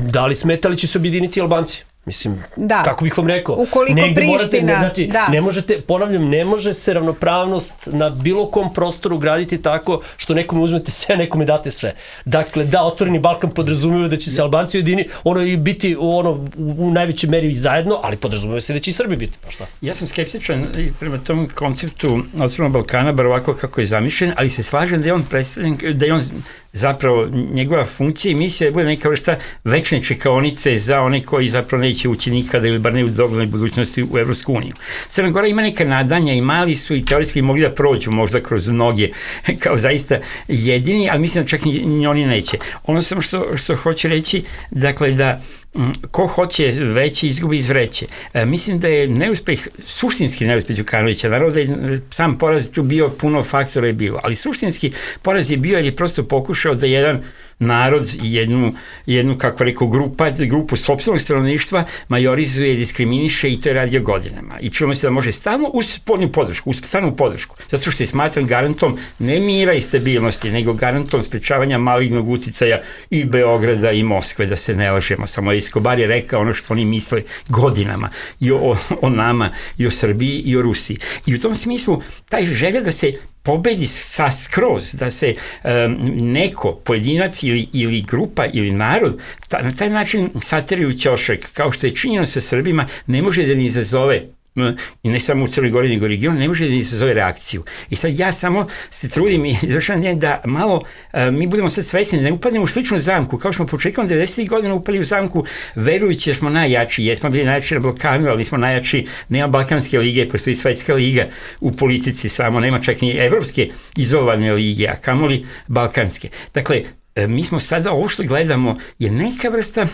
da li smeta, ali će se objediniti Albanci? Mislim, da. Kako bih vam rekao, ukoliko Priština, ne možete, ponavljam, ne može se ravnopravnost na bilo kom prostoru graditi tako što nekome uzmete sve, nekome date sve. Dakle, da, Otvoreni Balkan podrazumijeva da će se Albanci ujediniti, i biti u najvećoj meri zajedno, ali podrazumijeva se da će i Srbi biti, pa šta? Ja sam skeptičan prema tom konceptu Otvorenog Balkana, bar ovako kako je zamišljen, ali se slažem da je on predstavljen, da je on zapravo njegova funkcija i misija je bude neka vrsta večne čekaonice za one koji zapravo neće ući nikada ili bar ne u doglednoj budućnosti u Evropsku uniju. Crna Gora ima neka nadanja i mali su i teoretski mogli da prođu možda kroz noge kao zaista jedini, ali mislim da čak ni oni neće. Ono samo što hoću reći, dakle da ko hoće veće izgubi iz vreće. Mislim da je neuspeh, suštinski neuspeh Đukanovića, naravno da je sam poraz tu bio, puno faktora je bilo, ali suštinski poraz je bio jer je prosto pokušao da jedan narod i jednu kako rekao, grupu sopstvenog stanovništva majorizuje, diskriminiše i to je radio godinama. I čujemo se da može stalno uz spoljnu podršku, uz stalnu podršku, zato što je smatran garantom ne mira i stabilnosti, nego garantom sprečavanja malignog uticaja i Beograda i Moskve, da se ne lažemo. Samo Escobar je rekao ono što oni misle godinama i o nama, i o Srbiji, i o Rusiji. I u tom smislu taj želja da se pobedi skroz, da se neko, pojedinac ili grupa ili narod na taj način sateri u ćošak, kao što je činjeno sa Srbima, ne može da ni izazove, i ne samo u Crnoj Gori nego regionu, ne može da ni izazove reakciju. I sad ja samo se trudim i izvršam da malo mi budemo sad svesni, ne upadnemo u sličnu zamku, kao smo početkom 90. godina upali u zamku verujući da smo najjači, jesmo bili najjači na Balkanu, ali nismo najjači, nema Balkanske lige, postoji Svetska liga u politici samo, nema čak ni evropske izolovane lige, a kamoli Balkanske. Dakle, mi smo sada, ovo što gledamo je neka vrsta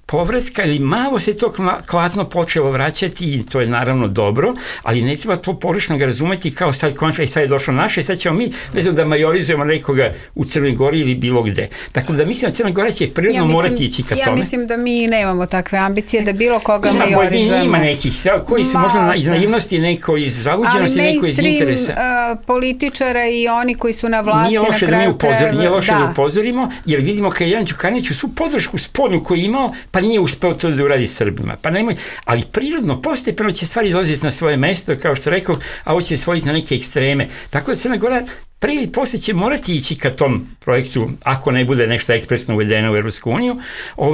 povratka ili malo se to klatno počelo vraćati i to je naravno dobro, ali ne treba to pogrešno ga razumeti kao sad končno i sad je došlo naše i sad ćemo mi, ne znam, da majorizujemo nekoga u Crnoj Gori ili bilo gde. Tako da mislim da Crna Gora će prirodno morati ići ka tome. Ja mislim da mi nemamo takve ambicije da bilo koga majorizujemo. Ima nekih, koji su možda iz naivnosti, neko iz zaluđenosti, neko iz interesa. Ali mainstream političara i oni koji su na vlasti na kraju krajeva. Nije loše da upozorimo, jer vidimo kad Ivan Đukanović u svu podršku spoljnu koju je imao, pa nije uspeo to da uradi Srbima. Pa nemoj, ali prirodno, postepeno će stvari dolaziti na svoje mesto, kao što rekao, a ovo će svojiti na neke ekstreme. Tako da Crna Gora pre ili posle će morati ići ka tom projektu, ako ne bude nešto ekspresno uvedeno u Evropsku uniju,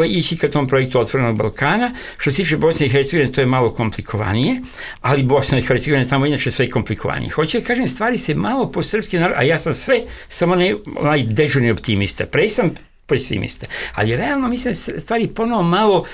ići ka tom projektu Otvorenog Balkana. Što se tiče Bosne i Hercegovine, to je malo komplikovanije, ali Bosna i Hercegovina je tamo inače sve komplikovanije. Hoću da kažem, stvari se malo po srpski narod, a ja sam sve, samo ne onaj dežurni optimista. Pre sam pesimista. Ali realno mislim da stvari ponovo malo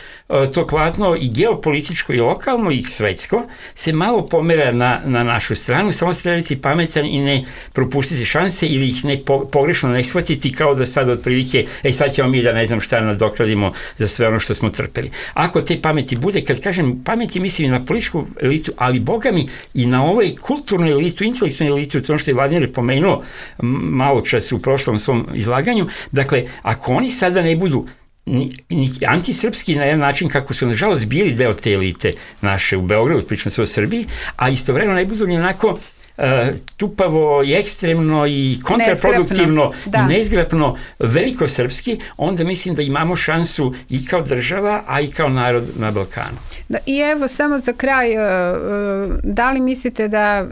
to klatno i geopolitičko i lokalno i svetsko se malo pomera na našu stranu, samo se treba biti pametan i ne propustiti šanse ili ih ne pogrešno ne shvatiti kao da sad otprilike sad ćemo mi da ne znam šta nadokradimo za sve ono što smo trpeli. Ako te pameti bude, kad kažem pameti mislim i na političku elitu, ali boga mi i na ovoj kulturnu elitu, intelektualnu elitu, to što je Vladimir pomenuo malo čas u prošlom svom izlaganju, dakle, ako oni sada ne budu ni antisrpski na jedan način kako su nažalost bili deo te elite naše u Beogradu, pričam se o Srbiji, a istovremeno ne budu ni onako tupavo i ekstremno i kontraproduktivno i nezgrapno velikosrpski, onda mislim da imamo šansu i kao država, a i kao narod na Balkanu. I evo, samo za kraj, da li mislite da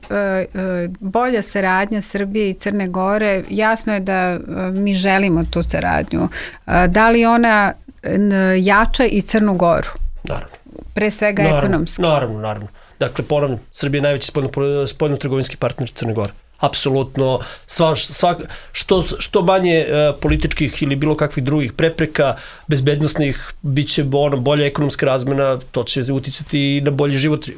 bolja saradnja Srbije i Crne Gore, jasno je da mi želimo tu saradnju, da li ona jača i Crnu Goru? Naravno. Pre svega ekonomski. Naravno. Dakle, ponavljam, Srbija je najveći spoljno-trgovinski partner Crne Gore. Apsolutno, što manje političkih ili bilo kakvih drugih prepreka, bezbednostnih, bit će bolja ekonomska razmena, to će uticati i na bolji život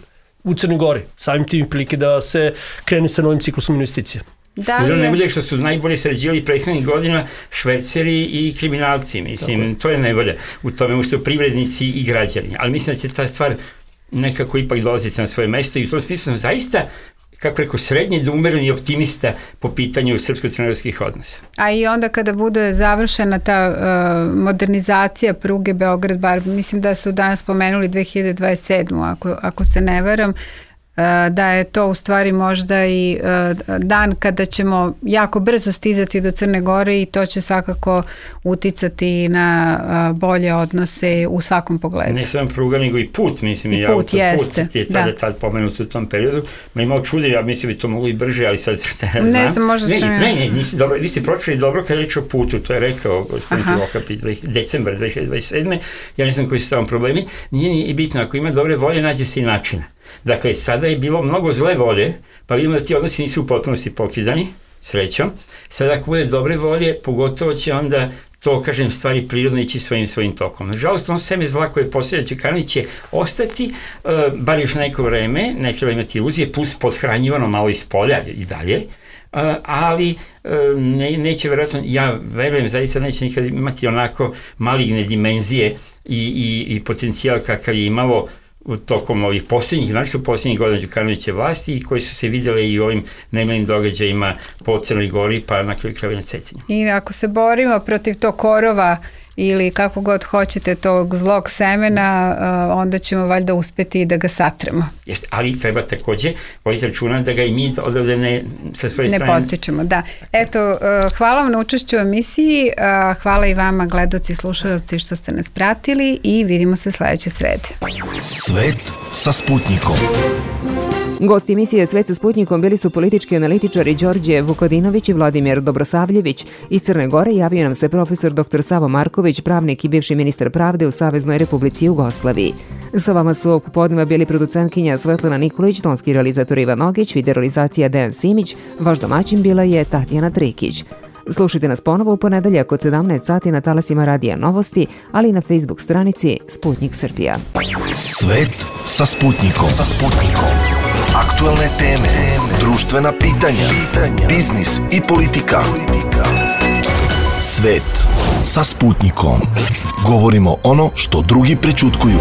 u Crnoj Gori. Samim tim prilike da se krene sa novim ciklusom investicija. Jer najbolje što su najbolje sređivali prethodnih godina šverceri i kriminalci, mislim, to je najbolje. U tome su privrednici i građani. Ali mislim da će ta stvar nekako ipak dolaziti na svoje mesto i u tom smislu sam zaista, kako rekao, srednje da umereni optimista po pitanju srpsko-crnogorskih odnosa. A i onda kada bude završena ta modernizacija pruge Beograd-Bar, mislim da su danas spomenuli 2027. Ako se ne varam, da je to u stvari možda i dan kada ćemo jako brzo stizati do Crne Gore i to će svakako uticati na bolje odnose u svakom pogledu. Ne samo pruga, nego i put, mislim, i put jeste. Je tad pomenut u tom periodu. Ma imao čude, ja mislim bi to moglo i brže, ali sad ne znam. Ne znam, možda sam ja. Ne, vi ste pročeli dobro kad reći o putu, to je rekao gospodin Krivokapić, decembar 2027. Ja ne znam koji su tamo problemi. Nije ni bitno, ako ima dobre volje, nađe se i načina. Dakle, sada je bilo mnogo zle volje, pa vidimo da ti odnosi nisu u potpunosti pokidani, srećom. Sada ako bude dobre volje, pogotovo će onda to, kažem, stvari prirodno ići svojim tokom. Nažalost, on seme zla koje posjeduje Đukanović će ostati, bar još neko vreme, ne treba imati iluzije, plus podhranjivano malo iz polja i dalje, ali neće vjerojatno, ja verujem, zaista neće nikad imati onako maligne dimenzije i potencijal kakav je imalo tokom ovih posljednjih godina Đukanoviće vlasti i koji su se vidjeli i u ovim nemalim događajima po Crnoj Gori pa na kraju krajeva na Cetinju. I ako se borimo protiv tog korova ili kako god hoćete tog zlog semena, onda ćemo valjda uspeti i da ga satremo. Ali treba takođe voditi računa da ga i mi odavde sa svoje strane ne postičemo, da. Eto, hvala vam na učešću u emisiji, hvala i vama gledaoci i slušalci što ste nas pratili i vidimo se sledeće srede. Svet sa Sputnikom. Gosti emisije Svet sa Sputnikom bili su politički analitičari Đorđe Vukodinović i Vladimir Dobrosavljević. Iz Crne Gore javio nam se profesor dr. Savo Marković, pravnik i bivši ministar pravde u Saveznoj Republici Jugoslaviji. Sa vama su ovog popodneva bili producentkinja Svetlana Nikolić, tonski realizator Ivan Ogić, videorealizacija Dejan Simić, vaš domaćin bila je Tatjana Trikić. Slušajte nas ponovo u ponedeljak od 17 sati na talasima Radija Novosti, ali i na Facebook stranici Sputnik Srbija. Svet sa Sputnikom. Aktualne teme, društvena pitanja, biznis i politika. Svet sa Sputnikom. Govorimo ono što drugi prećutkuju.